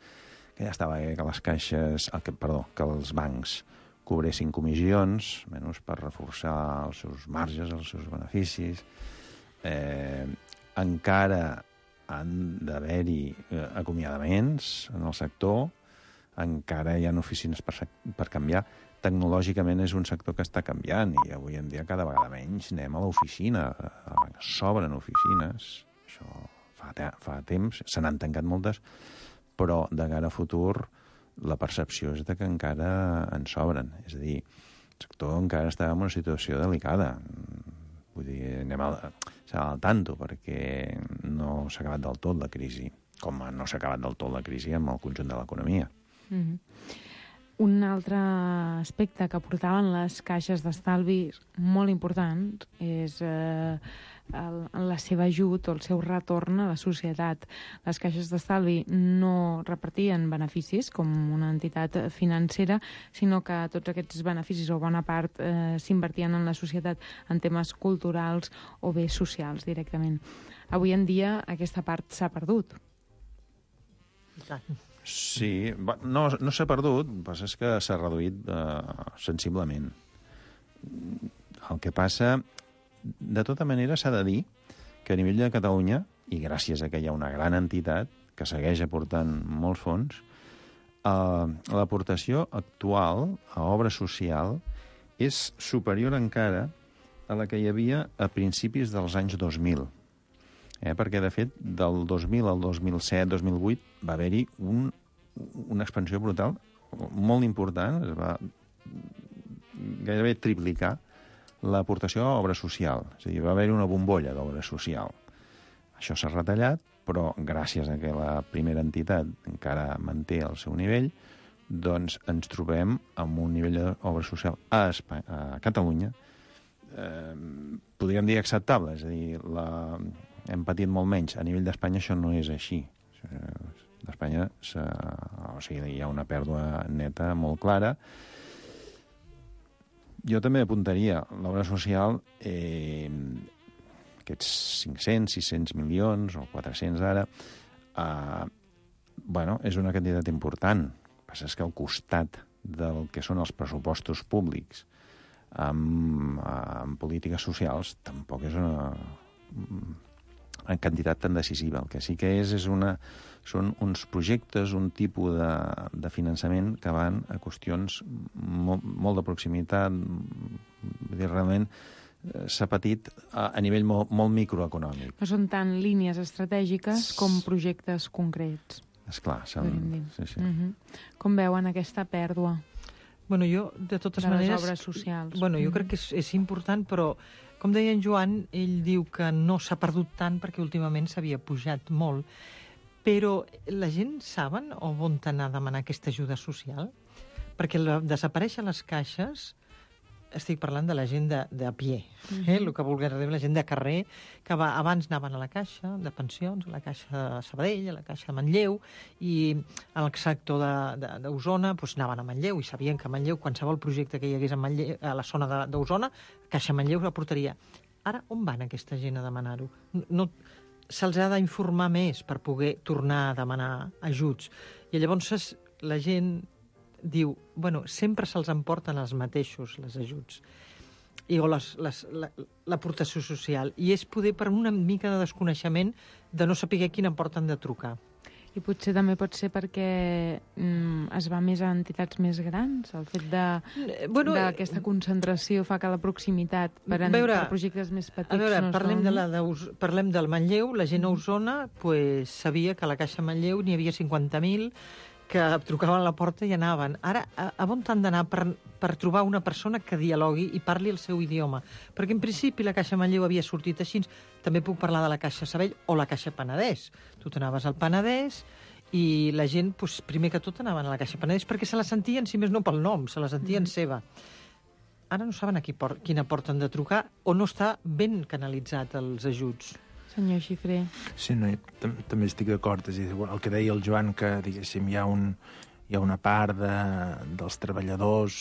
que ja estava bé que les caixes, que, perdó, que els bancs cobressin comissions, menys per reforçar els seus marges, els seus beneficis. Eh, encara han d'haver-hi eh, acomiadaments en el sector, encara hi ha oficines per, per canviar. Tecnològicament és un sector que està canviant i avui en dia cada vegada menys anem a l'oficina. S'obren oficines, això fa, te fa temps, se n'han tancat moltes, però de cara a futur la percepció és de que encara en s'obren. És a dir, el sector encara està en una situació delicada. Vull dir, anem al, al tanto, perquè no s'ha acabat del tot la crisi, com no s'ha acabat del tot la crisi amb el conjunt de l'economia. Mm-hmm. Un altre aspecte que aportaven les caixes d'estalvi molt important és eh, el, la seva ajut o el seu retorn a la societat. Les caixes d'estalvi no repartien beneficis com una entitat financera, sinó que tots aquests beneficis o bona part eh, s'invertien en la societat en temes culturals o bé socials directament. Avui en dia aquesta part s'ha perdut. Sí, no, no s'ha perdut, el que passa és que s'ha reduït eh, sensiblement. El que passa, de tota manera, s'ha de dir que a nivell de Catalunya, i gràcies a que hi ha una gran entitat que segueix aportant molts fons, eh, l'aportació actual a obra social és superior encara a la que hi havia a principis dels anys dos mil. Eh, perquè, de fet, del dos mil al dos mil set dos mil vuit va haver-hi un, una expansió brutal molt important, es va gairebé triplicar l'aportació a obra social. És a dir, va haver-hi una bombolla d'obra social. Això s'ha retallat, però gràcies a que la primera entitat encara manté el seu nivell, doncs ens trobem amb un nivell d'obra social a, Espanya, a Catalunya, eh, podríem dir acceptable, és a dir, la... hem patit molt menys. A nivell d'Espanya això no és així. D'Espanya o sigui, hi ha una pèrdua neta molt clara. Jo també apuntaria l'obra social, eh, aquests cinc-cents, sis-cents milions o quatre-cents ara, eh, bueno, és una quantitat important. El que passa és que al costat del que són els pressupostos públics amb, amb polítiques socials tampoc és una en quantitat tan decisiva. El que sí que és, és una, són uns projectes, un tipus de, de finançament que van a qüestions molt, molt de proximitat. Vull dir, realment s'ha patit a, a nivell molt, molt microeconòmic. No són tant línies estratègiques com projectes concrets. Esclar, són... Sí, sí. Uh-huh. Com veuen aquesta pèrdua? Bueno, jo, de totes de maneres... les obres socials. Bueno, jo mm. crec que és, és important, però, com deia en Joan, ell diu que no s'ha perdut tant perquè últimament s'havia pujat molt. Però la gent saben on anar a demanar aquesta ajuda social? Perquè la, desaparèixer les caixes, estic parlant de la gent de, de a pie, eh? El que vulguin dir, la gent de carrer, que va, abans anaven a la caixa de pensions, a la caixa de Sabadell, a la caixa de Manlleu, i al sector d'Osona doncs, anaven a Manlleu, i sabien que a Manlleu, qualsevol projecte que hi hagués a, Manlleu, a la zona d'Osona, Caixa Manlleu la portaria. Ara, on van aquesta gent a demanar-ho? No, se'ls ha d'informar més per poder tornar a demanar ajuts. I llavors la gent diu, bueno, sempre se'ls emporten els mateixos, les ajuts, i, o l'aportació la, social. I és poder per una mica de desconeixement de no saber quin em porten de trucar. I potser també pot ser perquè mm, es va més a entitats més grans? El fet d'aquesta bueno, concentració fa que la proximitat per, en, veure, per projectes més petits a veure, no parlem, són... de la, de, parlem del Manlleu. La gent a Osona pues, sabia que a la Caixa Manlleu n'hi havia cinquanta mil que trucaven a la porta i anaven. Ara, a, a on han d'anar per, per trobar una persona que dialogui i parli el seu idioma? Perquè en principi la Caixa Manlleu havia sortit així. També puc parlar de la Caixa Sabadell o la Caixa Penedès. Tu t'anaves al Penedès i la gent, doncs, primer que tot, anaven a la Caixa Penedès perquè se la sentien, si més no pel nom, se la sentien mm. seva. ara no saben a qui por quina porta han de trucar o no està ben canalitzat els ajuts. Senyor Xifré. Sí, no, tam també estic d'acord. És a dir, el que deia el Joan, que diguéssim, hi ha, un, hi ha una part de, dels treballadors,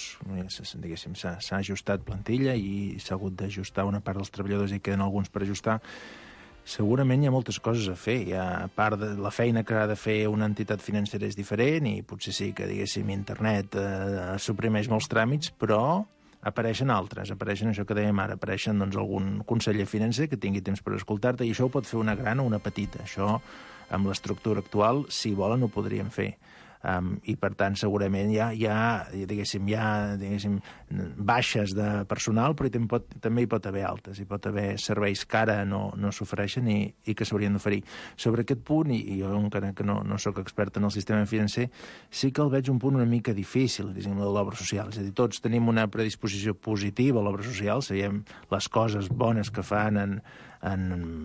diguéssim, s'ha ajustat plantilla i s'ha hagut d'ajustar una part dels treballadors i queden alguns per ajustar. Segurament hi ha moltes coses a fer. Hi ha, a part de la feina que ha de fer una entitat financera és diferent i potser sí que, diguéssim, internet eh, suprimeix molts tràmits, però apareixen altres, apareixen això que dèiem ara, apareixen doncs, algun conseller financer que tingui temps per escoltar-te i això ho pot fer una gran o una petita. Això, amb l'estructura actual, si volen, ho podrien fer. Um, I, per tant, segurament hi ha, hi ha, diguéssim, hi ha diguéssim, baixes de personal, però també, pot, també hi pot haver altes. Hi pot haver serveis que ara no, no s'ofereixen i, i que s'haurien d'oferir. Sobre aquest punt, i, i jo encara que no, no sóc expert en el sistema financer, sí que el veig un punt una mica difícil, diguéssim, de l'obra social. És a dir, tots tenim una predisposició positiva a l'obra social, sabem les coses bones que fan en, en,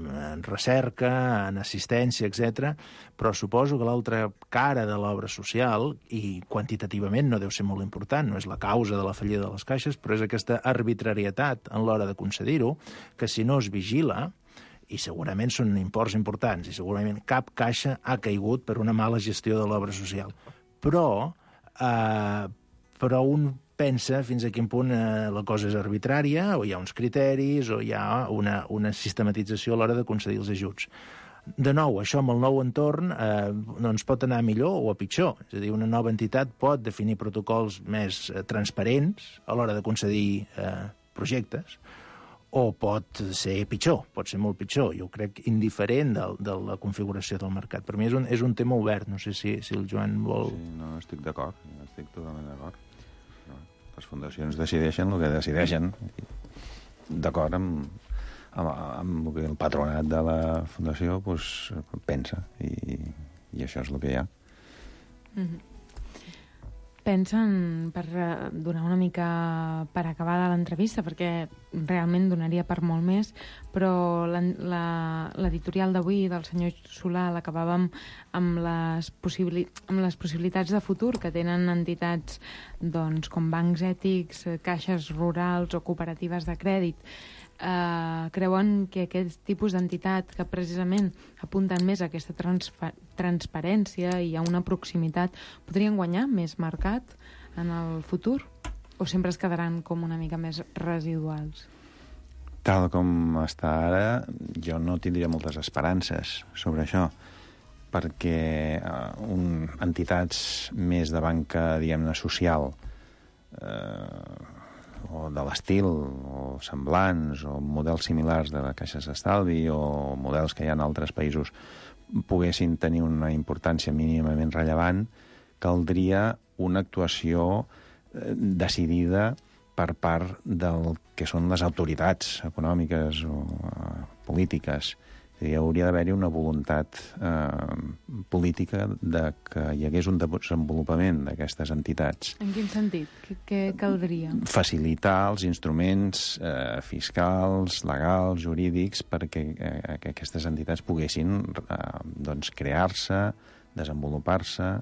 en recerca, en assistència, etcètera, però suposo que l'altra cara de l'obra social, i quantitativament no deu ser molt important, no és la causa de la fallida de les caixes, però és aquesta arbitrarietat en l'hora de concedir-ho, que si no es vigila, i segurament són imports importants, i segurament cap caixa ha caigut per una mala gestió de l'obra social. Però, eh, però un pensa fins a quin punt eh, la cosa és arbitrària, o hi ha uns criteris, o hi ha una, una sistematització a l'hora de concedir els ajuts. De nou, això amb el nou entorn eh, doncs pot anar millor o a pitjor. És a dir, una nova entitat pot definir protocols més eh, transparents a l'hora de concedir eh, projectes, o pot ser pitjor, pot ser molt pitjor. Jo crec indiferent de, de la configuració del mercat. Per mi és un, és un tema obert. No sé si, si el Joan vol... Sí, no, estic d'acord. Estic totalment d'acord. Les fundacions decideixen el que decideixen. D'acord amb, amb, amb el que el patronat de la fundació pues, pensa. I, I això és el que hi ha. Mm-hmm. Pensen, per donar una mica per acabada l'entrevista, perquè realment donaria per molt més, però l'editorial d'avui del senyor Solà l'acabàvem amb, les possibili amb les possibilitats de futur que tenen entitats doncs, com bancs ètics, caixes rurals o cooperatives de crèdit. Uh, creuen que aquest tipus d'entitat que precisament apunten més a aquesta transparència i a una proximitat podrien guanyar més mercat en el futur o sempre es quedaran com una mica més residuals? Tal com està ara, jo no tindria moltes esperances sobre això, perquè uh, un, entitats més de banca, diguem-ne, social, eh, o de l'estil, o semblants, o models similars de caixes d'estalvi, o models que hi ha en altres països, poguessin tenir una importància mínimament rellevant, caldria una actuació decidida per part del que són les autoritats econòmiques o uh, polítiques. Hi hauria d'haver-hi una voluntat eh, política de que hi hagués un desenvolupament d'aquestes entitats. En quin sentit? Què, què caldria? Facilitar els instruments eh, fiscals, legals, jurídics, perquè eh, que aquestes entitats poguessin eh, doncs, crear-se, desenvolupar-se,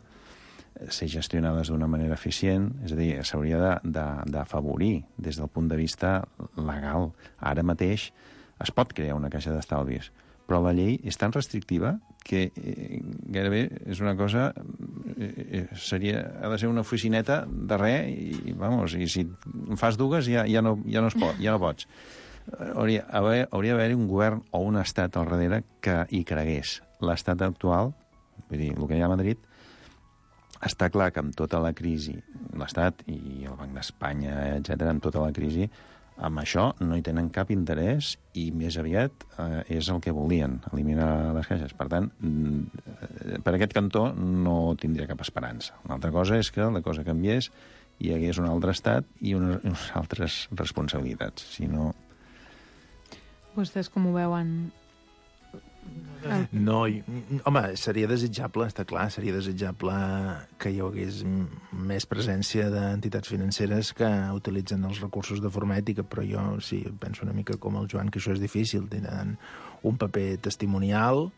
ser gestionades d'una manera eficient, és a dir, s'hauria d'afavorir des del punt de vista legal. Ara mateix es pot crear una caixa d'estalvis, però la llei és tan restrictiva que eh, gairebé és una cosa... Eh, seria, ha de ser una oficineta de res i, vamos, i si en fas dues ja, ja, no, ja, no es pot, ja no pots. Hauria, haver, hauria d'haver un govern o un estat al darrere que hi cregués. L'estat actual, vull dir, el que hi ha a Madrid, està clar que amb tota la crisi, l'Estat i el Banc d'Espanya, etcètera, amb tota la crisi, amb això no hi tenen cap interès i més aviat eh, és el que volien, eliminar les caixes. Per tant, per aquest cantó no tindria cap esperança. Una altra cosa és que la cosa canviés i hi hagués un altre estat i unes, unes altres responsabilitats. Si no... Vostès com ho veuen? No, i, home, seria desitjable, està clar, seria desitjable que hi hagués més presència d'entitats financeres que utilitzen els recursos de forma ètica, però jo sí, penso una mica com el Joan, que això és difícil, tenen un paper testimonial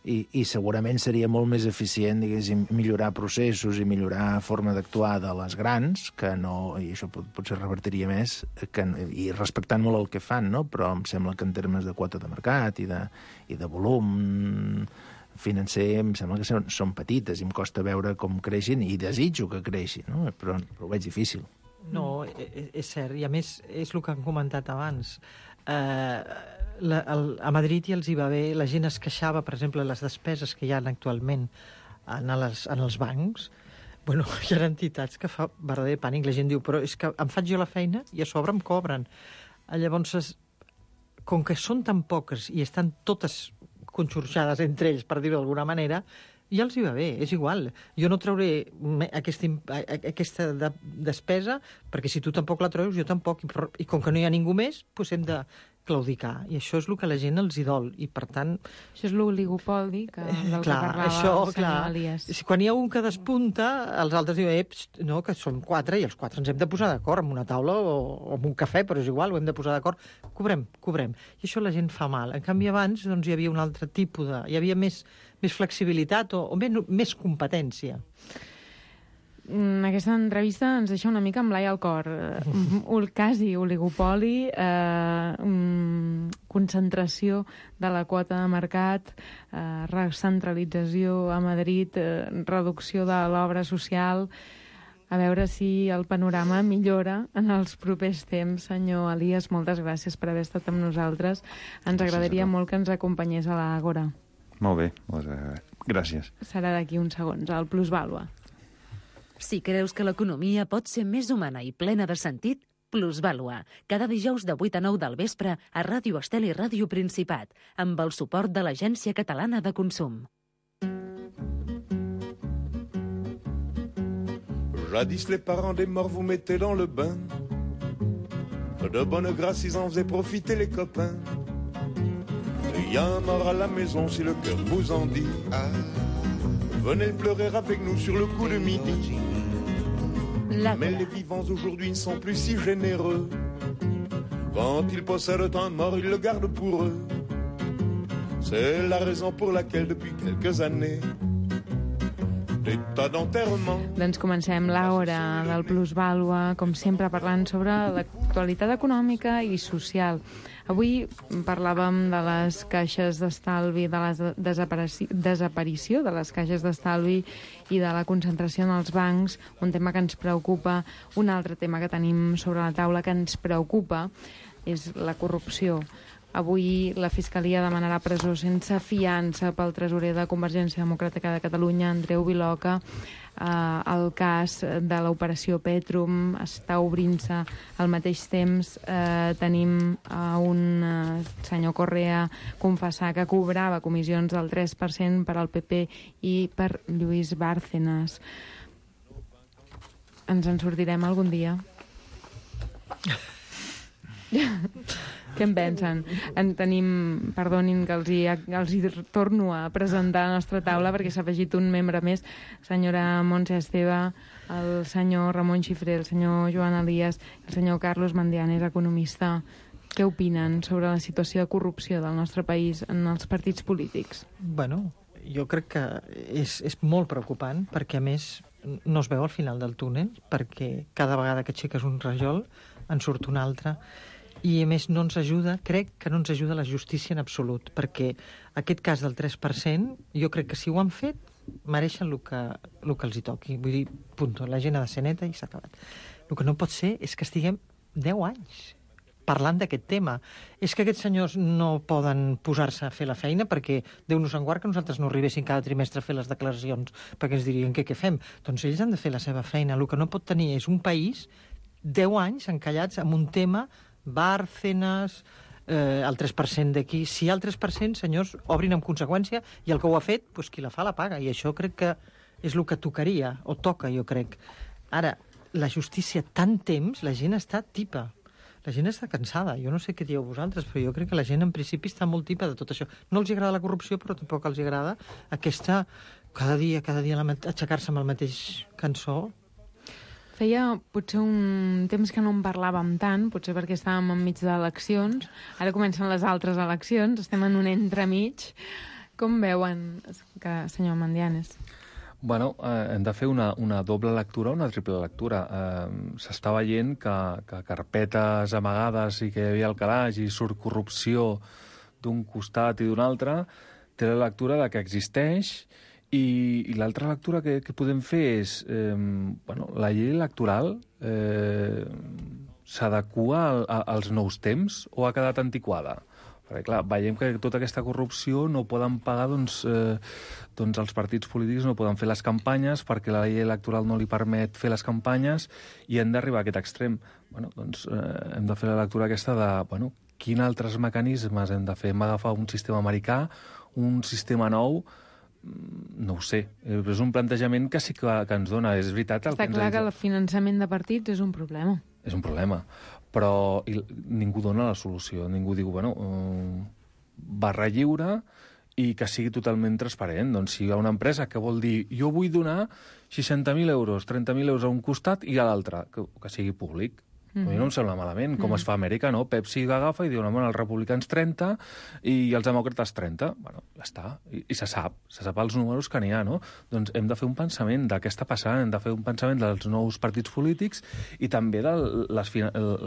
I, i segurament seria molt més eficient, diguéssim, millorar processos i millorar forma d'actuar de les grans, que no, i això pot, potser revertiria més, que, i respectant molt el que fan, no? Però em sembla que en termes de quota de mercat i de, i de volum financer, em sembla que són, són petites i em costa veure com creixin, i desitjo que creixin, no? Però, però ho veig difícil. No, és cert, i a més és el que han comentat abans. Eh... La, el, a Madrid ja els hi va bé, la gent es queixava, per exemple, les despeses que hi ha actualment en, les, en els bancs. Bueno, hi ha entitats que fa verdader pànic. La gent diu, però és que em faig jo la feina i a sobre em cobren. Llavors, es, com que són tan poques i estan totes conxorxades entre ells, per dir-ho d'alguna manera, ja els hi va bé, és igual. Jo no trauré aquesta, aquesta de, despesa, perquè si tu tampoc la treus, jo tampoc. I, i com que no hi ha ningú més, doncs hem de claudicar. I això és el que la gent els hi dol. I, per tant... Això és l'oligopoli que, del clar, que parlava això, el senyor clar, Elias. Quan hi ha un que despunta, els altres diuen, eh, no, que som quatre i els quatre ens hem de posar d'acord amb una taula o, o amb un cafè, però és igual, ho hem de posar d'acord. Cobrem, cobrem. I això la gent fa mal. En canvi, abans doncs, hi havia un altre tipus de... Hi havia més, més flexibilitat o, o més, més competència. Aquesta entrevista ens deixa una mica amb l'ai al cor. Uh, quasi oligopoli, eh, um, concentració de la quota de mercat, eh, recentralització a Madrid, eh, reducció de l'obra social. A veure si el panorama millora en els propers temps. Senyor Elias, moltes gràcies per haver estat amb nosaltres. Ens agradaria molt que ens acompanyés a l'Àgora. Molt bé, moltes gràcies. Serà d'aquí uns segons, al Plusvàlua. Si creus que l'economia pot ser més humana i plena de sentit, Plusvàlua, cada dijous de vuit a nou del vespre a Ràdio Estel i Ràdio Principat, amb el suport de l'Agència Catalana de Consum. Jadis les parents des morts vous mettez dans le bain. De bonne grâce ils en faisaient profiter les copains. Il y a un mort à la maison si le cœur vous en dit. Ah, venez pleurer avec nous sur le coup de midi. Mais les vivants aujourd'hui ne sont plus si généreux. Quand ils possèdent un mort, ils le gardent pour eux. C'est la raison pour laquelle depuis quelques années d'état d'enterrement. Doncs comencem l'hora del Plusvàlua, com sempre parlant sobre l'actualitat econòmica i social. Avui parlàvem de les caixes d'estalvi, de la desaparició, desaparició de les caixes d'estalvi i de la concentració en els bancs, un tema que ens preocupa. Un altre tema que tenim sobre la taula que ens preocupa és la corrupció. Avui la Fiscalia demanarà presó sense fiança pel tresorer de Convergència Democràtica de Catalunya, Andreu Viloca. Eh, el cas de l'operació Petrum està obrint-se al mateix temps. Eh, tenim a un eh, senyor Correa confessar que cobrava comissions del tres per cent per al P P i per Lluís Bárcenas. Ens en sortirem algun dia? Què en pensen? En tenim, perdonin que els hi, els hi torno a presentar a la nostra taula perquè s'ha afegit un membre més, senyora Montse Esteve, el senyor Ramon Xifré, el senyor Joan Elias, el senyor Carlos Mandianes, economista. Què opinen sobre la situació de corrupció del nostre país en els partits polítics? Bueno, jo crec que és, és molt preocupant perquè, a més, no es veu al final del túnel, perquè cada vegada que aixeques un rajol en surt un altre. I, a més, no ens ajuda, crec que no ens ajuda la justícia en absolut, perquè aquest cas del tres per cent, jo crec que si ho han fet, mereixen el que, el que els hi toqui. Vull dir, punto, la gent ha de ser neta i s'ha acabat. El que no pot ser és que estiguem deu anys parlant d'aquest tema. És que aquests senyors no poden posar-se a fer la feina perquè Déu nos en guard que nosaltres no arribéssim cada trimestre a fer les declaracions perquè ens dirien què, què fem. Doncs ells han de fer la seva feina. El que no pot tenir és un país deu anys encallats amb un tema Bárcenas, eh, el tres per cent d'aquí. Si hi ha el tres per cent, senyors, obrin amb conseqüència i el que ho ha fet, doncs qui la fa la paga. I això crec que és el que tocaria, o toca, jo crec. Ara, la justícia tant temps, la gent està tipa. La gent està cansada. Jo no sé què dieu vosaltres, però jo crec que la gent en principi està molt tipa de tot això. No els agrada la corrupció, però tampoc els agrada aquesta, cada dia, cada dia aixecar-se amb el mateix cançó. Feia potser un temps que no en parlàvem tant, potser perquè estàvem enmig d'eleccions. Ara comencen les altres eleccions, estem en un entremig. Com veuen, que, senyor Mandianes? Bueno, eh, hem de fer una, una doble lectura o una triple lectura. Eh, S'està veient que, que carpetes amagades i que hi havia el calaix i surt corrupció d'un costat i d'un altre, té la lectura de que existeix i, i l'altra lectura que, que podem fer és eh, bueno, la llei electoral eh, s'adequa al, a, als nous temps o ha quedat antiquada? Perquè, clar, veiem que tota aquesta corrupció no poden pagar, doncs, eh, doncs els partits polítics no poden fer les campanyes perquè la llei electoral no li permet fer les campanyes i hem d'arribar a aquest extrem. Bueno, doncs eh, hem de fer la lectura aquesta de, bueno, quins altres mecanismes hem de fer? Hem d'agafar un sistema americà, un sistema nou? No ho sé. És un plantejament que sí que, que ens dona. És veritat... El Està que clar ens que el finançament de partits és un problema. És un problema, però i, ningú dona la solució. Ningú diu, bueno, um, barra lliure i que sigui totalment transparent. Doncs si hi ha una empresa que vol dir jo vull donar seixanta mil euros, trenta mil euros a un costat i a l'altre, que, que sigui públic. Mm-hmm. A mi no em sembla malament, com mm-hmm. es fa a Amèrica, no? Pepsi agafa i diu, no, bueno, els republicans trenta i els demòcrates trenta. Bueno, ja està. I, i se sap, se sap els números que n'hi ha, no? Doncs hem de fer un pensament de què està passant, hem de fer un pensament dels nous partits polítics i també de les,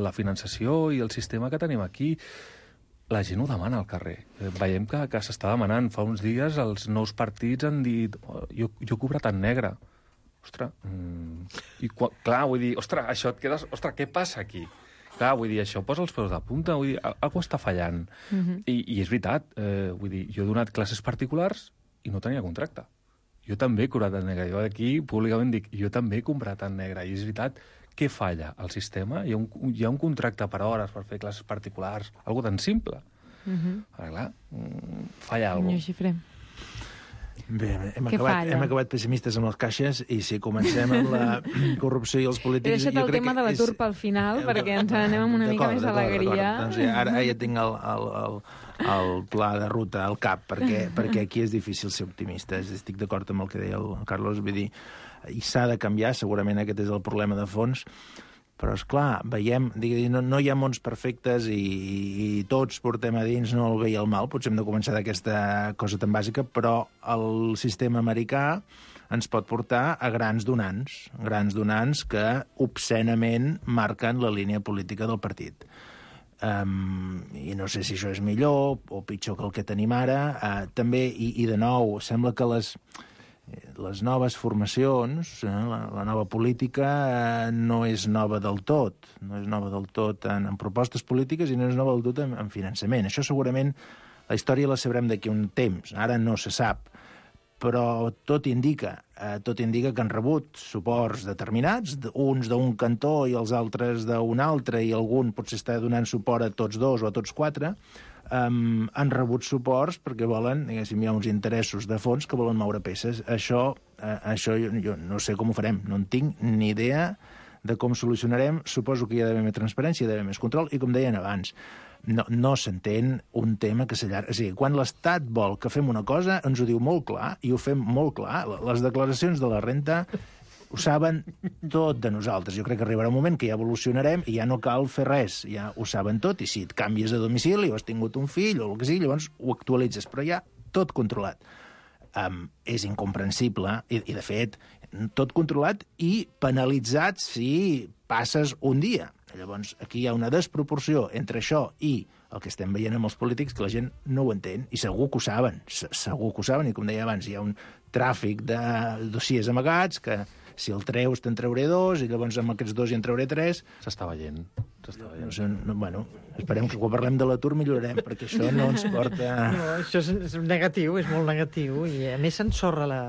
la finançació i el sistema que tenim aquí. La gent ho demana al carrer. Veiem que, que s'està demanant. Fa uns dies els nous partits han dit oh, jo, jo he cobrat en negre. Ostres, mm, i clar, vull dir, ostres, això et quedes... Ostres, què passa aquí? Clar, vull dir, això posa els peus de punta, vull dir, algú està fallant. Mm-hmm. I, I és veritat, eh, vull dir, jo he donat classes particulars i no tenia contracte. Jo també he cobrat en negre. Jo aquí públicament dic, jo també he comprat en negre. I és veritat, què falla al sistema? Hi ha un, hi ha un contracte per hores per fer classes particulars, algo tan simple. Mm-hmm. Ara, clar, mm, falla alguna cosa. Xifré. Bé, hem acabat, hem acabat pessimistes amb les caixes i si comencem amb la corrupció i els polítics... He deixat el tema de l'atur pel final perquè ens anem amb una mica més d'alegria. Doncs ja, ara ja tinc el, el, el, el pla de ruta al cap perquè, perquè aquí és difícil ser optimista. Estic d'acord amb el que deia el Carlos, vull dir, i s'ha de canviar, segurament aquest és el problema de fons, però, és clar, veiem, digui, no, no hi ha mons perfectes i, i tots portem a dins no el bé i el mal, potser hem de començar d'aquesta cosa tan bàsica, però el sistema americà ens pot portar a grans donants, grans donants que obscenament marquen la línia política del partit. Um, I no sé si això és millor o pitjor que el que tenim ara. Uh, també, i, i de nou, sembla que les... les noves formacions, eh, la, la nova política eh, no és nova del tot, no és nova del tot en, en propostes polítiques i no és nova del tot en, en finançament. Això segurament la història la sabrem d'aquí un temps, ara no se sap, però tot indica, eh, tot indica que han rebut suports determinats, uns d'un cantó i els altres d'un altre, i algun potser està donant suport a tots dos o a tots quatre. Um, han rebut suports perquè volen, diguéssim, hi ha uns interessos de fons que volen moure peces. Això, uh, això jo, jo no sé com ho farem, no en tinc ni idea de com solucionarem. Suposo que hi ha d'haver més transparència, hi ha d'haver més control, i com deien abans, no, no s'entén un tema que s'allarga. És a dir, quan l'Estat vol que fem una cosa, ens ho diu molt clar, i ho fem molt clar. Les declaracions de la renta ho saben tot de nosaltres. Jo crec que arribarà un moment que ja evolucionarem i ja no cal fer res, ja ho saben tot, i si et canvies de domicili o has tingut un fill o el que sigui, llavors ho actualitzes, però ja tot controlat. Um, és incomprensible, i, i de fet, tot controlat i penalitzat si passes un dia. Llavors, aquí hi ha una desproporció entre això i el que estem veient amb els polítics, que la gent no ho entén, i segur que ho saben, segur que ho saben, i com deia abans, hi ha un tràfic de dossiers amagats que si el treus te'n trauré dos, i llavors amb aquests dos hi en trauré tres. S'està veient. S'està veient. No sé, no, bueno, esperem que quan parlem de l'atur millorarem, perquè això no ens porta... No, això és, és negatiu, és molt negatiu, i a més s'ensorra la,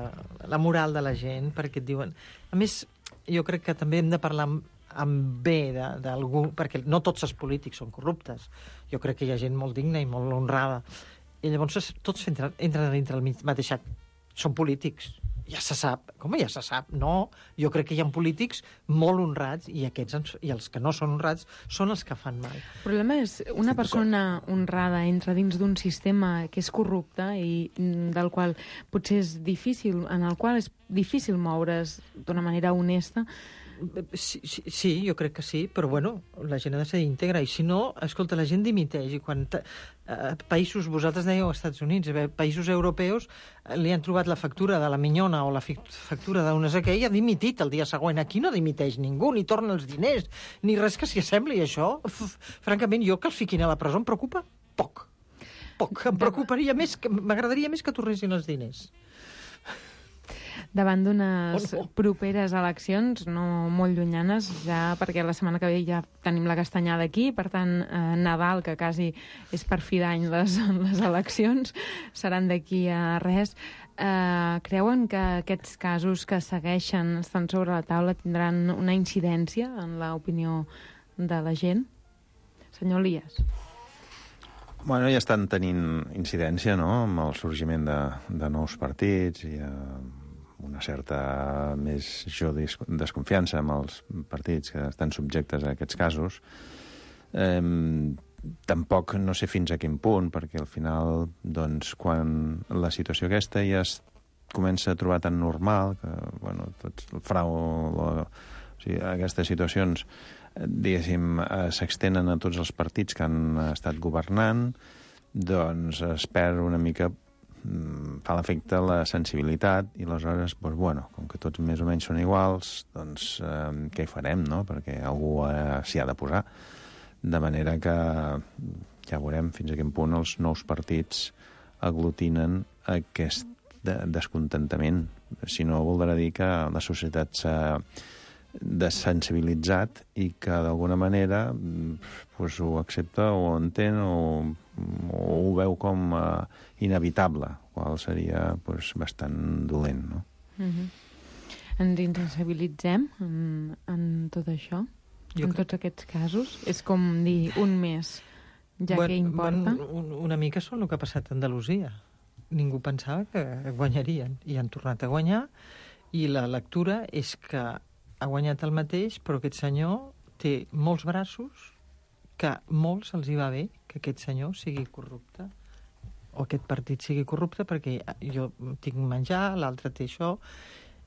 la moral de la gent, perquè et diuen... A més, jo crec que també hem de parlar amb, amb bé d'algú, perquè no tots els polítics són corruptes. Jo crec que hi ha gent molt digna i molt honrada. I llavors tots entren, entren dintre el mateix sac. Són polítics. Ja se sap. Com ja se sap? No. Jo crec que hi ha polítics molt honrats i aquests i els que no són honrats són els que fan mal. El problema és una persona honrada entra dins d'un sistema que és corrupte i del qual potser és difícil, en el qual és difícil moure's d'una manera honesta. Sí, sí, sí, jo crec que sí, però bueno, la gent ha de ser íntegra, i si no, escolta, la gent dimiteix, i quan eh, països, vosaltres dèieu als Estats Units, eh, països europeus eh, li han trobat la factura de la minyona o la factura d'un no sé què i ha dimitit el dia següent. Aquí no dimiteix ningú, ni torna els diners, ni res que s'hi assembli, això. Uf, francament, jo que els fiquin a la presó em preocupa poc. Poc. Em preocuparia més, m'agradaria més que tornessin els diners. Davant d'unes oh, no. properes eleccions, no molt llunyanes, ja perquè la setmana que ve ja tenim la castanyada aquí, per tant, eh, Nadal, que quasi és per fi d'any les, les eleccions, seran d'aquí a res. Eh, creuen que aquests casos que segueixen, estan sobre la taula, tindran una incidència en l'opinió de la gent? Senyor Elias. Bueno, ja estan tenint incidència, no?, amb el sorgiment de, de nous partits i eh, una certa més jo desconfiança amb els partits que estan subjectes a aquests casos. Eh, tampoc no sé fins a quin punt, perquè al final, doncs, quan la situació aquesta ja es comença a trobar tan normal, que, bueno, tots el frau, la, o sigui, aquestes situacions, diguéssim, s'extenen a tots els partits que han estat governant, doncs es perd una mica, fa l'efecte la sensibilitat, i aleshores, doncs, bueno, com que tots més o menys són iguals, doncs eh, què hi farem, no?, perquè algú eh, s'hi ha de posar. De manera que ja veurem fins a quin punt els nous partits aglutinen aquest de descontentament. Si no, voldrà dir que la societat s'ha desensibilitzat i que d'alguna manera pues, ho accepta o entén o, o ho veu com uh, inevitable, qual seria pues, bastant dolent, no? Mm-hmm. Ens insensibilitzem en, en tot això? Jo en tots aquests casos? És com dir un mes, ja bueno, que importa? Bueno, una mica són el que ha passat a Andalusia. Ningú pensava que guanyarien i han tornat a guanyar, i la lectura és que ha guanyat el mateix, però aquest senyor té molts braços, que molts els hi va bé que aquest senyor sigui corrupte, o aquest partit sigui corrupte, perquè jo tinc menjar, l'altre té això,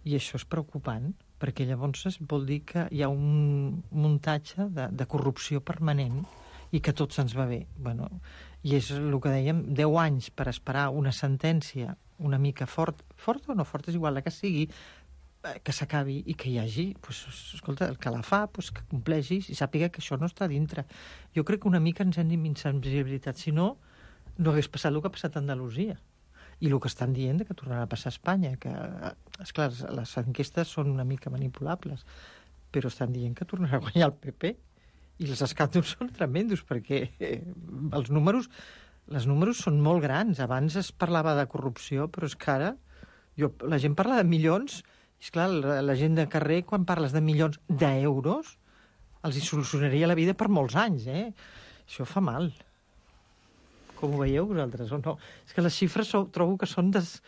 i això és preocupant, perquè llavors vol dir que hi ha un muntatge de, de corrupció permanent i que tot se'ns va bé. Bueno, i és el que dèiem, deu anys per esperar una sentència una mica fort, fort o no fort, és igual, la que sigui, que s'acabi i que hi hagi, pues, escolta, el que la fa, pues, que compleixi i sàpiga que això no està dintre. Jo crec que una mica ens hem d'insensibilitat, si no, no hagués passat el que ha passat a Andalusia. I el que estan dient que tornarà a passar a Espanya, que, esclar, les enquestes són una mica manipulables, però estan dient que tornarà a guanyar el P P. I els escàndols són tremendos, perquè els números, les números són molt grans. Abans es parlava de corrupció, però és que ara jo, la gent parla de milions. És clar, la gent de carrer, quan parles de milions d'euros, els hi solucionaria la vida per molts anys, eh? Això fa mal. Com ho veieu vosaltres, o no? És que les xifres so, trobo que són, des,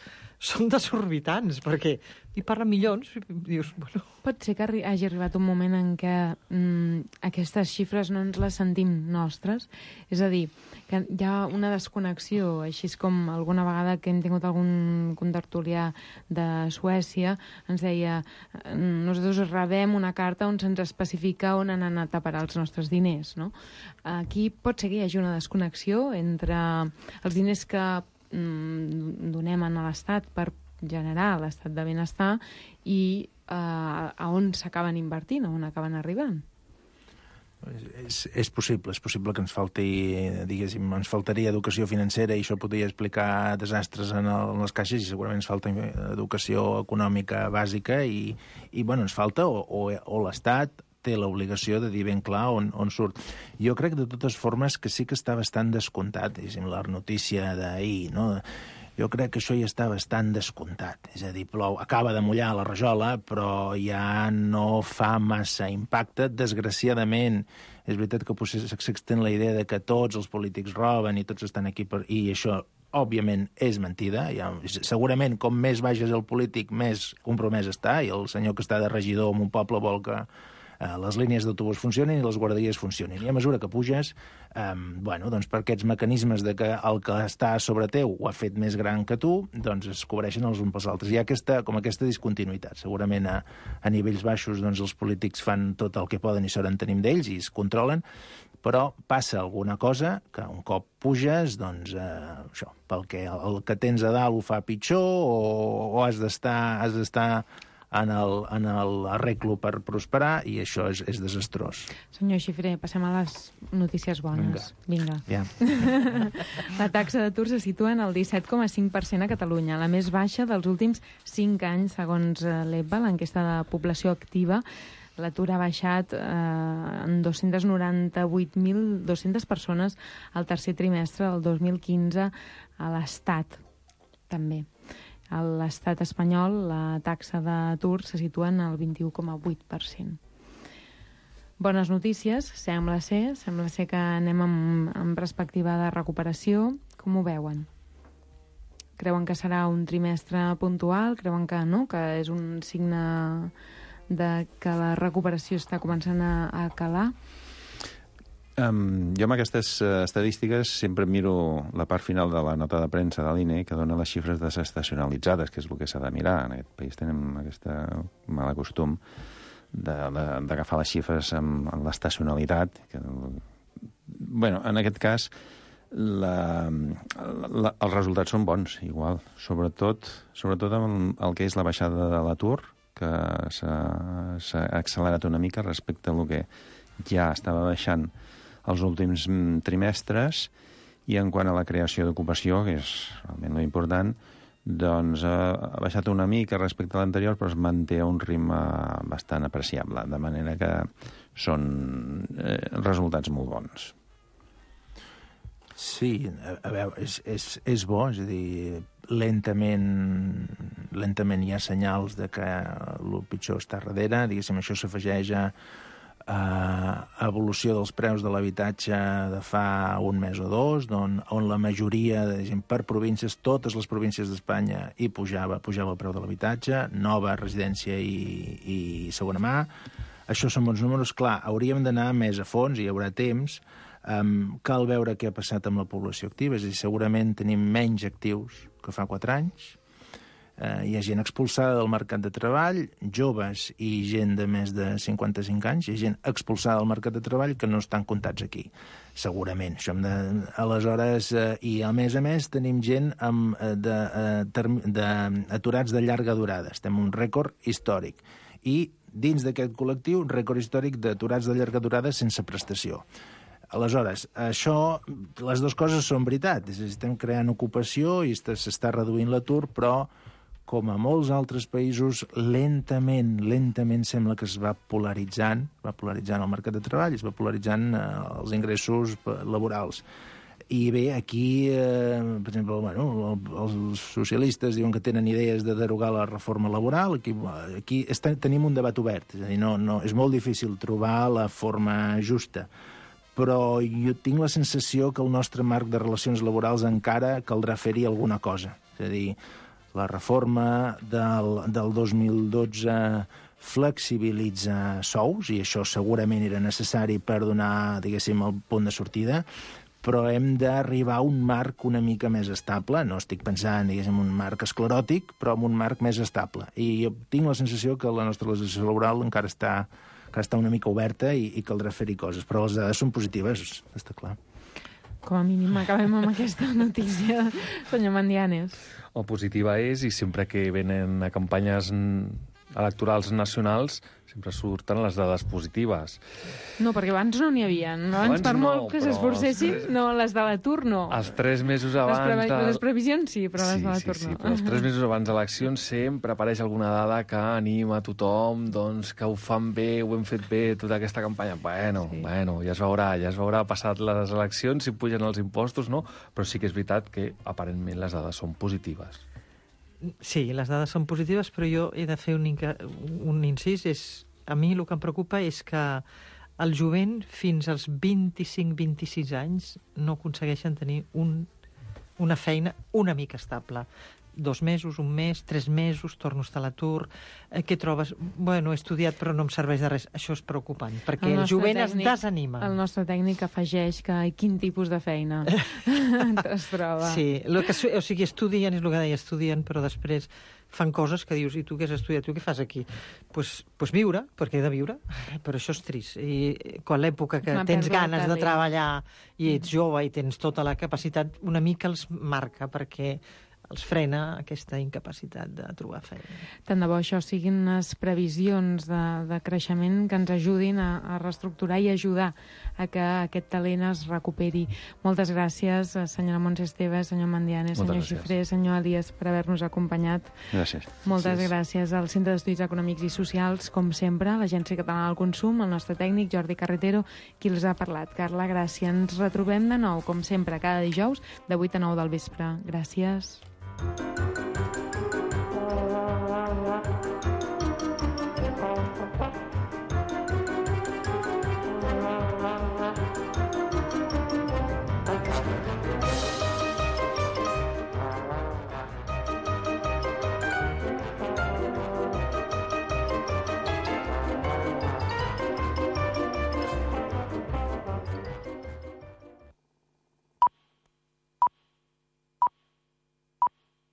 són desorbitants, perquè hi parla milions i dius, bueno... Pot ser que hagi arribat un moment en què mm, aquestes xifres no ens les sentim nostres, és a dir, que hi ha una desconnexió, així com alguna vegada que hem tingut algun contertulià de Suècia, ens deia, nosaltres rebem una carta on se'ns especifica on han anat a parar els nostres diners, no? Aquí pot ser que hi hagi una desconnexió entre els diners que mm, donem a l'Estat per generar l'estat de benestar i eh, a on s'acaben invertint, a on acaben arribant. És, és possible, és possible que ens falti, diguéssim, ens faltaria educació financera i això podria explicar desastres en, el, en les caixes, i segurament ens falta educació econòmica bàsica i, i bueno, ens falta o, o, o l'Estat té l'obligació de dir ben clar on, on surt. Jo crec de totes formes que sí que està bastant descomptat, diguéssim, la notícia d'ahir, no? Jo crec que això ja està bastant descomptat. És a dir, plou, acaba de mullar la rajola, però ja no fa massa impacte. Desgraciadament, és veritat que potser s'extén la idea de que tots els polítics roben i tots estan aquí per... I això, òbviament, és mentida. Ja, segurament, com més baix és el polític, més compromès està, i el senyor que està de regidor en un poble vol que eh, les línies d'autobús funcionin i les guarderies funcionin. I a mesura que puges, eh, bueno, doncs per aquests mecanismes de que el que està sobre teu ho ha fet més gran que tu, doncs es cobreixen els uns pels altres. Hi ha aquesta, com aquesta discontinuïtat. Segurament a, a nivells baixos doncs els polítics fan tot el que poden i s'hauran tenim d'ells i es controlen, però passa alguna cosa que un cop puges, doncs, eh, això, pel que el que tens a dalt ho fa pitjor o, o has d'estar has d'estar en el, en l'arreglo per prosperar i això és, és desastrós. Senyor Xifré, passem a les notícies bones. Vinga. Vinga. Ja. La taxa d'atur se situa en el disset coma cinc per cent a Catalunya, la més baixa dels últims cinc anys, segons l'E P A, l'enquesta de població activa. L'atur ha baixat eh, en dos-cents noranta-vuit mil dos-centes persones al tercer trimestre del dos mil quinze a l'Estat, també. A l'Estat espanyol la taxa d'atur se situa en el vint-i-u coma vuit per cent. Bones notícies, sembla ser, sembla ser que anem amb, amb perspectiva de recuperació. Com ho veuen? Creuen que serà un trimestre puntual? Creuen que no, que és un signe de que la recuperació està començant a, a calar? Um, jo amb aquestes uh, estadístiques sempre miro la part final de la nota de premsa de l'I N E que dona les xifres desestacionalitzades, que és el que s'ha de mirar. En aquest país tenim aquest mal costum d'agafar les xifres amb, amb l'estacionalitat. Que, bueno, en aquest cas, la, la, els resultats són bons, igual. Sobretot, sobretot amb el que és la baixada de l'atur, que s'ha accelerat una mica respecte a el que ja estava baixant els últims trimestres, i en quant a la creació d'ocupació, que és realment important, doncs ha baixat una mica respecte a l'anterior, però es manté a un ritme bastant apreciable, de manera que són eh, resultats molt bons. Sí, a, a veure, és, és, és bo, és a dir, lentament, lentament hi ha senyals de que el pitjor està darrere, diguéssim, això s'afegeix a, a evolució dels preus de l'habitatge de fa un mes o dos, on, on la majoria, de, per províncies, totes les províncies d'Espanya hi pujava, pujava el preu de l'habitatge, nova residència i, i segona mà. Això són bons números. Clar, hauríem d'anar més a fons, i hi haurà temps. Um, cal veure què ha passat amb la població activa, és a dir, segurament tenim menys actius que fa quatre anys, uh, hi ha gent expulsada del mercat de treball, joves i gent de més de cinquanta-cinc anys, hi ha gent expulsada del mercat de treball que no estan comptats aquí, segurament. Això hem de, aleshores, uh, i a més a més tenim gent amb, uh, de, uh, term, de, aturats de llarga durada, estem en un rècord històric, i dins d'aquest col·lectiu, rècord històric d'aturats de llarga durada sense prestació. Aleshores, això, les dues coses són veritat. És a dir, estem creant ocupació i s'està reduint l'atur, però, com a molts altres països, lentament, lentament sembla que es va polaritzant, va polaritzant el mercat de treball, es va polaritzant eh, els ingressos laborals. I bé, aquí, eh, per exemple, bueno, els socialistes diuen que tenen idees de derogar la reforma laboral. Aquí, aquí està, tenim un debat obert. És a dir, no, no, és molt difícil trobar la forma justa. Però jo tinc la sensació que el nostre marc de relacions laborals encara caldrà fer-hi alguna cosa. És a dir, la reforma del, del dos mil dotze flexibilitza sous, i això segurament era necessari per donar, diguéssim, el punt de sortida, però hem d'arribar a un marc una mica més estable. No estic pensant, diguéssim, un marc escleròtic, però en un marc més estable. I jo tinc la sensació que la nostra legislació laboral encara està que està una mica oberta i, i caldrà fer-hi coses. Però les dades són positives, està clar. Com a mínim acabem amb aquesta notícia, senyor Mandianes. O positiva és, i sempre que venen a campanyes electorals nacionals, sempre surten les dades positives. No, perquè abans no n'hi havia. Abans, abans per no, molt que s'esforcessin, tres... no, les de l'atur no. Els tres mesos abans... Les, previ... de... les previsions sí, però sí, les de l'atur sí, no. Sí, però els tres mesos abans d'eleccions sempre apareix alguna dada que anima a tothom, doncs, que ho fan bé, ho hem fet bé, tota aquesta campanya. Bueno, sí. bueno, ja es veurà, ja es veurà passat les eleccions, si pugen els impostos, no? Però sí que és veritat que, aparentment, les dades són positives. Sí, les dades són positives, però jo he de fer un, un incís. És, a mi el que em preocupa és que el jovent fins als vint-i-cinc vint-i-sis anys no aconsegueixen tenir un, una feina una mica estable. dos mesos, un mes, tres mesos, torno a estar a l'atur. Eh, què trobes? Bueno, he estudiat però no em serveix de res. Això és preocupant, perquè el, el jovent tècnic, es desanima. El nostre tècnic afegeix que quin tipus de feina es troba. Sí, lo que, o sigui, estudien, és el que deia, estudien, però després fan coses que dius, i tu què has estudiat, tu què fas aquí? Doncs pues, pues viure, perquè he de viure, però això és trist. I quan l'època que tens ganes de treballar i ets jove i tens tota la capacitat, una mica els marca, perquè els frena aquesta incapacitat de trobar feina. Tant de bo això siguin unes previsions de, de creixement que ens ajudin a, a reestructurar i ajudar a que aquest talent es recuperi. Moltes gràcies, senyora Montse Esteve, senyor Mandianes, senyor Xifré, senyor Elias, per haver-nos acompanyat. Gràcies. Moltes gràcies. gràcies al Centre d'Estudis Econòmics i Socials, com sempre, l'Agència Catalana del Consum, el nostre tècnic, Jordi Carretero, qui els ha parlat. Carla, gràcies. Ens retrobem de nou, com sempre, cada dijous, de vuit a nou del vespre. Gràcies.